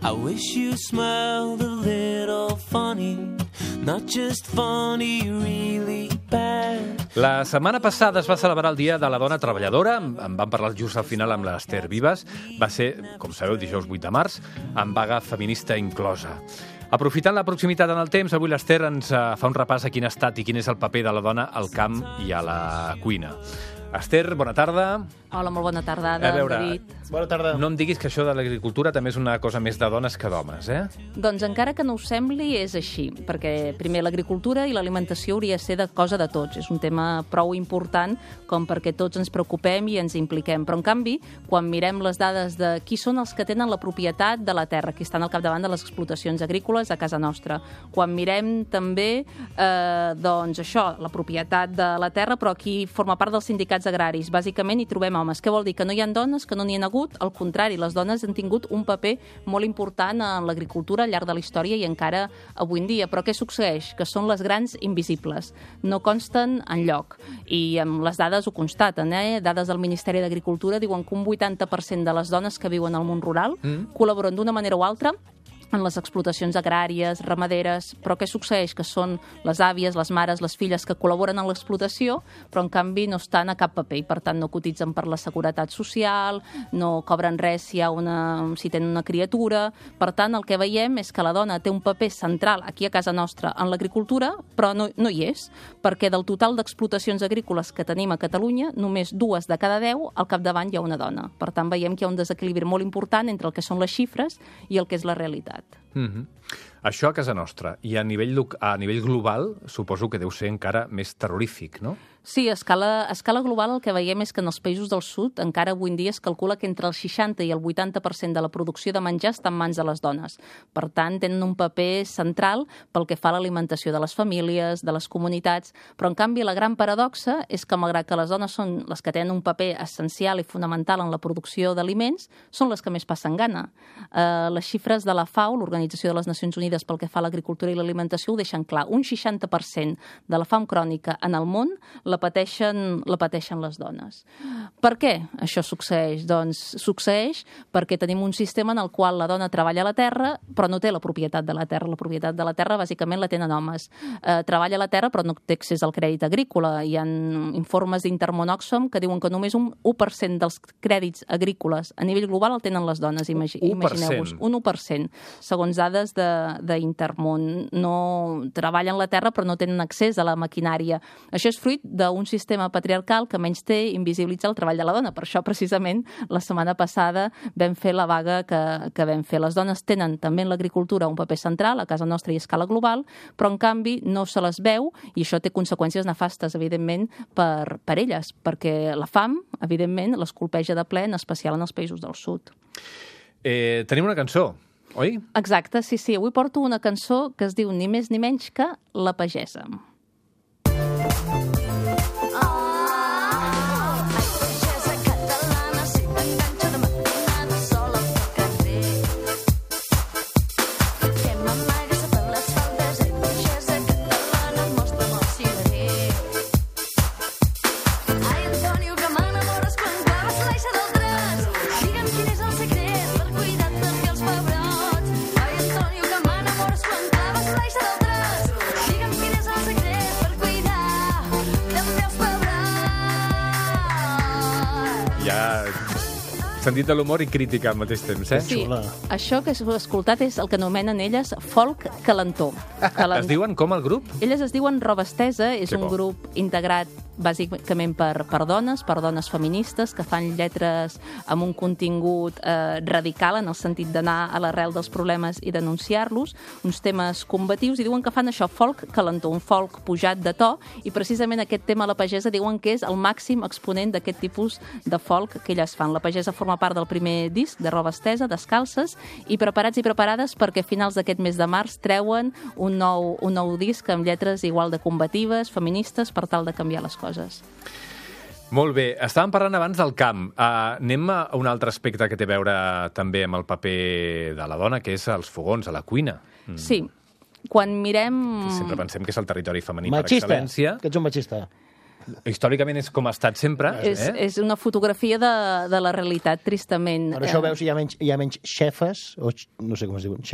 I wish you smiled a little funny, not just funny, really bad. La setmana passada es va celebrar el Dia de la Dona Treballadora. En vam parlar just al final amb l'Ester Vives. Va ser, com sabeu, dijous 8 de març, amb vaga feminista inclosa. Aprofitant la proximitat en el temps, avui l'Ester ens fa un repàs a quin ha estat i quin és el paper de la dona al camp i a la cuina. Esther, bona tarda. Hola, molt bona tarda, David. Bona tarda. No em diguis que això de l'agricultura també és una cosa més de dones que d'homes, eh? Doncs encara que no ho sembli, és així, perquè primer l'agricultura i l'alimentació hauria de ser de cosa de tots. És un tema prou important com perquè tots ens preocupem i ens impliquem. Però, en canvi, quan mirem les dades de qui són els que tenen la propietat de la terra, qui estan al capdavant de les explotacions agrícoles a casa nostra, quan mirem també, doncs això, la propietat de la terra, però qui forma part dels sindicats agraris, bàsicament hi trobem homes. Què vol dir? Que no hi ha dones, que no n'hi ha hagut? Al contrari, les dones han tingut un paper molt important en l'agricultura al llarg de la història i encara avui en dia. Però què succeeix? Que són les grans invisibles. No consten enlloc. I amb les dades ho constaten, Dades del Ministeri d'Agricultura diuen que un 80% de les dones que viuen al món rural col·laboren d'una manera o altra en les explotacions agràries, ramaderes, però què succeeix? Que són les àvies, les mares, les filles que col·laboren en l'explotació, però en canvi no estan a cap paper i per tant no cotitzen per la seguretat social, no cobren res si tenen una criatura. Per tant, el que veiem és que la dona té un paper central aquí a casa nostra en l'agricultura, però no hi és, perquè del total d'explotacions agrícoles que tenim a Catalunya, només 2 de cada 10 al capdavant hi ha una dona. Per tant, veiem que hi ha un desequilibri molt important entre el que són les xifres i el que és la realitat. Això a casa nostra. I a nivell global suposo que deu ser encara més terrorífic, no? Sí, a escala global el que veiem és que en els països del sud encara avui en dia es calcula que entre el 60 i el 80% de la producció de menjar està en mans de les dones. Per tant, tenen un paper central pel que fa a l'alimentació de les famílies, de les comunitats, però en canvi la gran paradoxa és que malgrat que les dones són les que tenen un paper essencial i fonamental en la producció d'aliments, són les que més passen gana. Les xifres de la FAO, l'Organització l'Organització de les Nacions Unides pel que fa a l'agricultura i l'alimentació ho deixen clar. Un 60% de la fam crònica en el món la pateixen les dones. Per què això succeeix? Doncs succeeix perquè tenim un sistema en el qual la dona treballa a la terra però no té la propietat de la terra. La propietat de la terra bàsicament la tenen homes. Treballa a la terra però no té accés al crèdit agrícola. Hi ha informes d'Intermón Oxfam que diuen que només un 1% dels crèdits agrícoles a nivell global el tenen les dones. Imagineu-vos, un 1%. Segons dades d'Intermón, no treballen la terra però no tenen accés a la maquinària. Això és fruit d'un sistema patriarcal que menys té invisibilitza el treball de la dona. Per això, precisament, la setmana passada vam fer la vaga que vam fer. Les dones tenen també en l'agricultura un paper central a casa nostra i a escala global, però en canvi no se les veu i això té conseqüències nefastes, evidentment, per elles, perquè la fam, evidentment, les colpeja de ple, en especial en els països del sud. Tenim una cançó, oi? Exacte, sí. Avui porto una cançó que es diu ni més ni menys que La pagesa. Sentit de l'humor i crítica al mateix temps, eh? Sí, això que heu escoltat és el que anomenen elles folk calentó. Es diuen com el grup? Elles es diuen Roba Estesa, és un grup integrat bàsicament per dones feministes que fan lletres amb un contingut radical en el sentit d'anar a l'arrel dels problemes i denunciar-los, uns temes combatius, i diuen que fan això, folk calentó, un folk pujat de to, i precisament aquest tema La pagesa diuen que és el màxim exponent d'aquest tipus de folk que elles fan. La pagesa forma part del primer disc de Roba Estesa, Descalces, i preparats i preparades perquè a finals d'aquest mes de març treuen un nou disc amb lletres igual de combatives, feministes, per tal de canviar les coses. Molt bé. Estàvem parlant abans del camp. Anem a un altre aspecte que té a veure també amb el paper de la dona, que és els fogons, a la cuina. Sí. Quan mirem... Sempre pensem que és el territori femení per excel·lència. Que ets un machista. Històricament és com ha estat sempre. És una fotografia de la realitat, tristament. Per això veus hi ha menys xefes, o no sé com es diuen,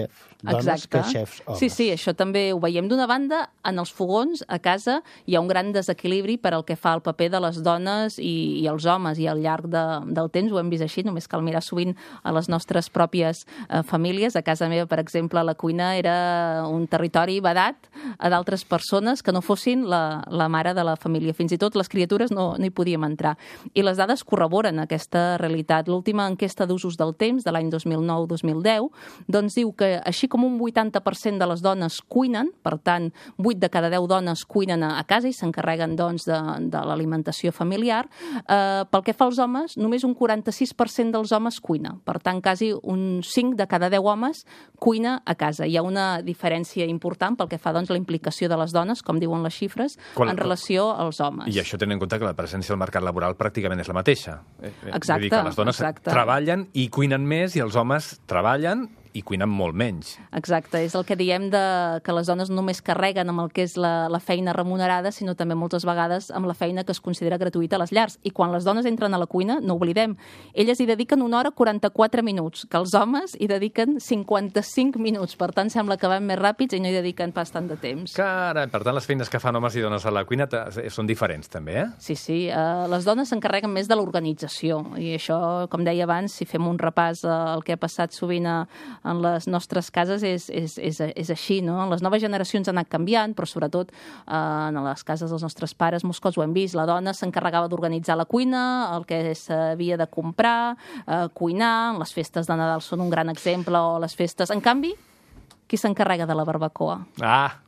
dones, que xefs homes. Sí, això també ho veiem. D'una banda, en els fogons, a casa, hi ha un gran desequilibri per al que fa el paper de les dones i els homes, i al llarg del temps ho hem vist així, només cal mirar sovint a les nostres pròpies famílies. A casa meva, per exemple, la cuina era un territori vedat a d'altres persones que no fossin la mare de la família. Fins i tot les criatures no hi podíem entrar. I les dades corroboren aquesta realitat. L'última enquesta d'usos del temps, de l'any 2009-2010, doncs diu que així com un 80% de les dones cuinen, per tant, 8 de cada 10 dones cuinen a casa i s'encarreguen doncs, de l'alimentació familiar, pel que fa als homes, només un 46% dels homes cuina. Per tant, quasi un 5 de cada 10 homes cuina a casa. Hi ha una diferència important pel que fa doncs, la implicació de les dones, com diuen les xifres, en relació als homes. I això tenint en compte que la presència al mercat laboral pràcticament és la mateixa. Exacte. Vull dir que les dones treballen i cuinen més i els homes treballen i cuinen molt menys. Exacte, és el que diem que les dones no només carreguen amb el que és la feina remunerada, sinó també moltes vegades amb la feina que es considera gratuïta a les llars. I quan les dones entren a la cuina, no oblidem, elles hi dediquen 1 hora 44 minuts, que els homes hi dediquen 55 minuts. Per tant, sembla que van més ràpids i no hi dediquen pas tant de temps. Carai, per tant, les feines que fan homes i dones a la cuina són diferents, també, eh? Sí. Les dones s'encarreguen més de l'organització. I això, com deia abans, si fem un repàs al que ha passat sovint en les nostres cases és així, no? Les noves generacions han anat canviant, però sobretot en les cases dels nostres pares molts cops ho hem vist. La dona s'encarregava d'organitzar la cuina, el que s'havia de comprar, cuinar, les festes de Nadal són un gran exemple, o les festes... En canvi, qui s'encarrega de la barbacoa?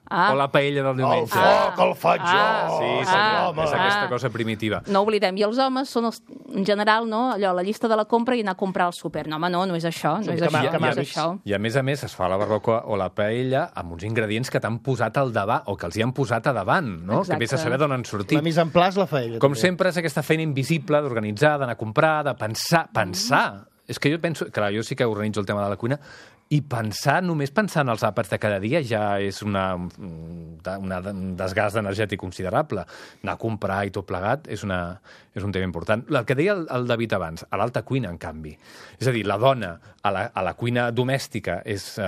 O la paella del diumenge. El foc, el faig jo! Sí, senyor, és aquesta cosa primitiva. No oblidem, i els homes són, en general, no, allò, la llista de la compra i anar a comprar al súper. No, home, no és això, no és això. I a més es fa la barbacoa o la paella amb uns ingredients que t'han posat al davant, o que els hi han posat a davant, no? Exacte. Que vés a saber d'on han sortit. La mise en place la paella. Com sempre, és aquesta feina invisible d'organitzar, d'anar a comprar, de pensar. És que jo penso, clar, jo sí que organitzo el tema de la cuina, I només pensar en els àpats de cada dia ja és un desgast energètic considerable. Anar a comprar i tot plegat és un tema important. El que deia el David abans, a l'alta cuina, en canvi. És a dir, la dona a la cuina domèstica és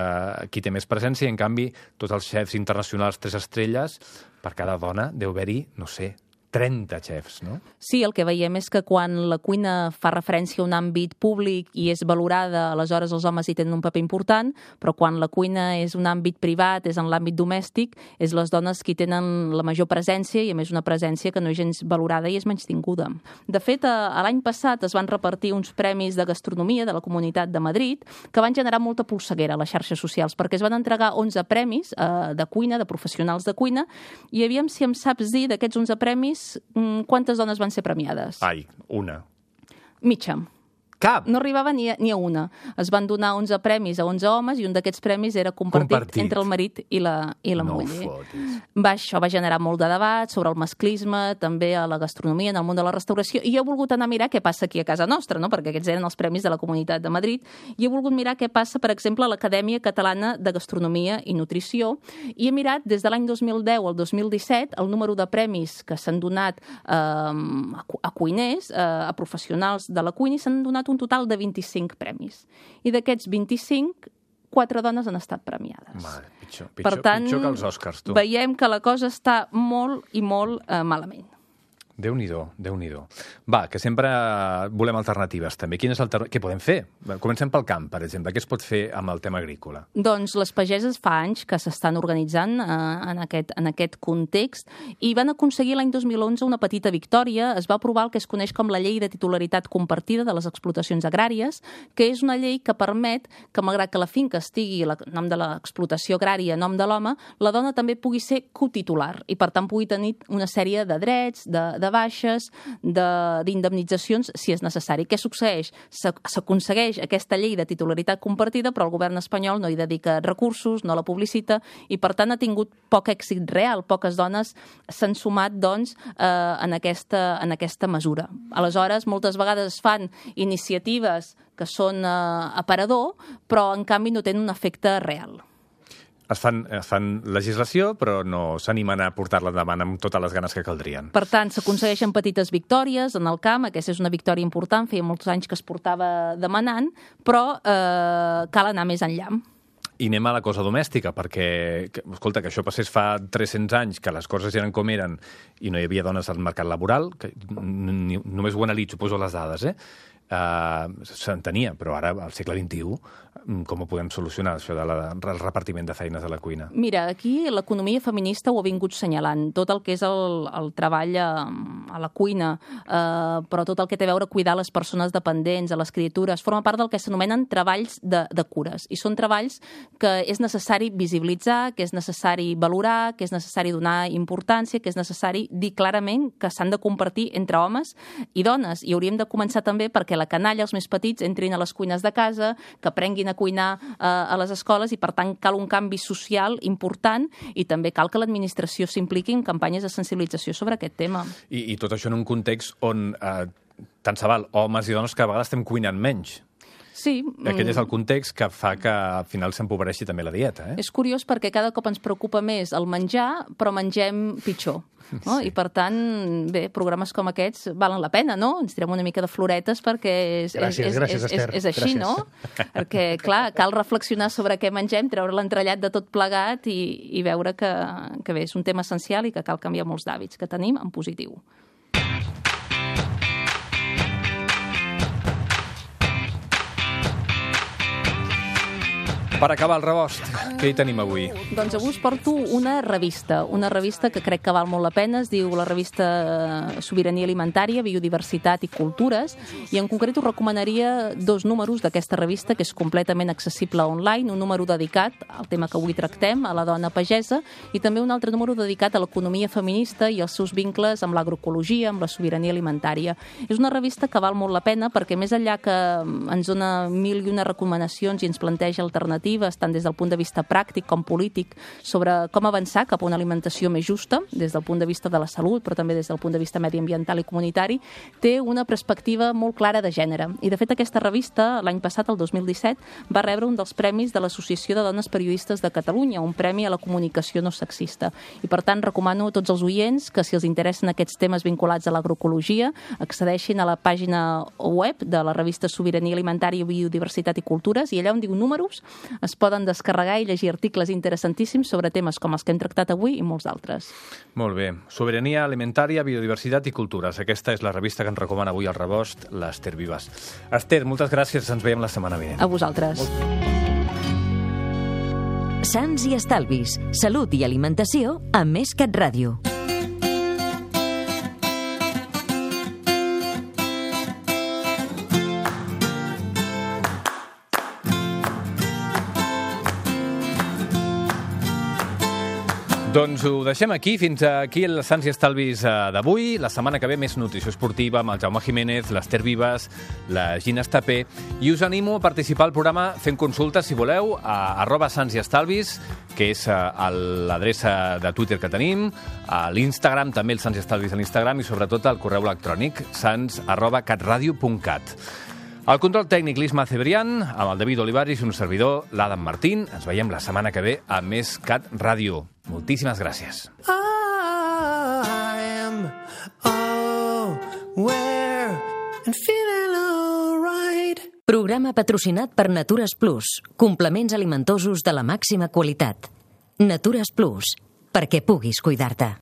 qui té més presència, i en canvi tots els xefs internacionals 3 estrelles, per cada dona deu haver-hi, no sé, 30 xefs, no? Sí, el que veiem és que quan la cuina fa referència a un àmbit públic i és valorada, aleshores els homes hi tenen un paper important, però quan la cuina és un àmbit privat, és en l'àmbit domèstic, és les dones qui tenen la major presència, i a més una presència que no és gens valorada i és menystinguda. De fet, l'any passat es van repartir uns premis de gastronomia de la Comunitat de Madrid que van generar molta polseguera a les xarxes socials, perquè es van entregar 11 premis de cuina, de professionals de cuina, i aviam si em saps dir d'aquests 11 premis quantes dones van ser premiades? Ai, una. Mitja. Cap? No arribava ni a una. Es van donar 11 premis a 11 homes i un d'aquests premis era compartit entre el marit i la muller. Això va generar molt de debat sobre el masclisme, també a la gastronomia, en el món de la restauració, i he volgut anar a mirar què passa aquí a casa nostra, no? Perquè aquests eren els premis de la Comunitat de Madrid, i he volgut mirar què passa, per exemple, a l'Acadèmia Catalana de Gastronomia i Nutrició, i he mirat des de l'any 2010 al 2017 el número de premis que s'han donat a cuiners, a professionals de la cuina, i s'han donat un total de 25 premis. I d'aquests 25, 4 dones han estat premiades. Mare, pitjor que els Oscars, tu. Veiem que la cosa està molt i molt malament. Déu-n'hi-do, Déu-n'hi-do. Va, que sempre volem alternatives, també. Què podem fer? Comencem pel camp, per exemple. Què es pot fer amb el tema agrícola? Doncs les pageses fa anys que s'estan organitzant en aquest context i van aconseguir l'any 2011 una petita victòria. Es va aprovar el que es coneix com la Llei de Titularitat Compartida de les Explotacions Agràries, que és una llei que permet que, malgrat que la finca estigui a nom de l'explotació agrària a nom de l'home, la dona també pugui ser cotitular i, per tant, pugui tenir una sèrie de drets, de baixes, d'indemnitzacions, si és necessari. Què succeeix? S'aconsegueix aquesta llei de titularitat compartida, però el govern espanyol no hi dedica recursos, no la publicita, i per tant ha tingut poc èxit real. Poques dones s'han sumat, doncs, en aquesta mesura. Aleshores, moltes vegades es fan iniciatives que són aparador, però en canvi no tenen un efecte real. Es fan legislació, però no s'animen a portar-la endavant amb totes les ganes que caldrien. Per tant, s'aconsegueixen petites victòries en el camp. Aquesta és una victòria important, feia molts anys que es portava demanant, però cal anar més enllà. I anem a la cosa domèstica, perquè, escolta, que això passés fa 300 anys, que les coses eren com eren i no hi havia dones al mercat laboral, que només ho analitzo, poso les dades, s'entenia, però ara, al segle XXI, com ho podem solucionar, això del repartiment de feines a la cuina? Mira, aquí l'economia feminista ho ha vingut senyalant. Tot el que és el treball a la cuina, però tot el que té a veure cuidar les persones dependents, a les criatures, forma part del que s'anomenen treballs de cures. I són treballs que és necessari visibilitzar, que és necessari valorar, que és necessari donar importància, que és necessari dir clarament que s'han de compartir entre homes i dones. I hauríem de començar també perquè la canalla, els més petits, entrin a les cuines de casa, que aprenguin a cuinar a les escoles, i per tant cal un canvi social important i també cal que l'administració s'impliqui en campanyes de sensibilització sobre aquest tema. I tot això en un context on tant se val homes i dones que a vegades estem cuinant menys. Sí. Aquest és el context que fa que al final s'empobreixi també la dieta. És curiós perquè cada cop ens preocupa més el menjar, però mengem pitjor. No? Sí. I per tant, bé, programes com aquests valen la pena, no? Ens tirem una mica de floretes perquè és així, no? Perquè, clar, cal reflexionar sobre què mengem, treure l'entrellat de tot plegat i veure que bé, és un tema essencial i que cal canviar molts d'hàbits que tenim en positiu. Per acabar el rebost, què hi tenim avui? Doncs avui us porto una revista que crec que val molt la pena, es diu la revista Sobirania Alimentària, Biodiversitat i Cultures, i en concret us recomanaria 2 números d'aquesta revista, que és completament accessible online, un número dedicat al tema que avui tractem, a la dona pagesa, i també un altre número dedicat a l'economia feminista i els seus vincles amb l'agroecologia, amb la sobirania alimentària. És una revista que val molt la pena perquè més enllà que ens dona 1001 recomanacions i ens planteja alternatives, alternatives, tant des del punt de vista pràctic com polític, sobre com avançar cap a una alimentació més justa, des del punt de vista de la salut, però també des del punt de vista mediambiental i comunitari, té una perspectiva molt clara de gènere. I, de fet, aquesta revista, l'any passat, el 2017, va rebre un dels premis de l'Associació de Dones Periodistes de Catalunya, un premi a la comunicació no sexista. I, per tant, recomano a tots els oients que, si els interessen aquests temes vinculats a l'agroecologia, accedeixin a la pàgina web de la revista Sobirania Alimentària, Biodiversitat i Cultures, i allà on diu números es poden descarregar i llegir articles interessantíssims sobre temes com els que hem tractat avui i molts d'altres. Molt bé. Sobirania Alimentària, Biodiversitat i Cultures. Aquesta és la revista que ens recomana avui al Rebost, l'Ester Vives. Ester, moltes gràcies. Ens veiem la setmana vinent. A vosaltres. Sants i estalvis, salut i alimentació a Més Cat Ràdio. Doncs ho deixem aquí. Fins aquí el Sants i Estalvis d'avui. La setmana que ve més nutrició esportiva amb el Jaume Jiménez, l'Ester Vives, la Gina Estapé. I us animo a participar al programa fent consultes, si voleu, a @santsiestalvis, que és l'adreça de Twitter que tenim, a l'Instagram, també el Sants i Estalvis a l'Instagram, i sobretot al correu electrònic sans@catradio.cat. El control tècnic, l'Isma Cebrián, amb el David Olivaris i un servidor, l'Adam Martín. Ens veiem la setmana que ve a Més Cat Ràdio. Moltíssimes gràcies. I am aware and feeling all right. Programa patrocinat per Natures Plus, complements alimentosos de la màxima qualitat. Natures Plus, perquè puguis cuidar-te.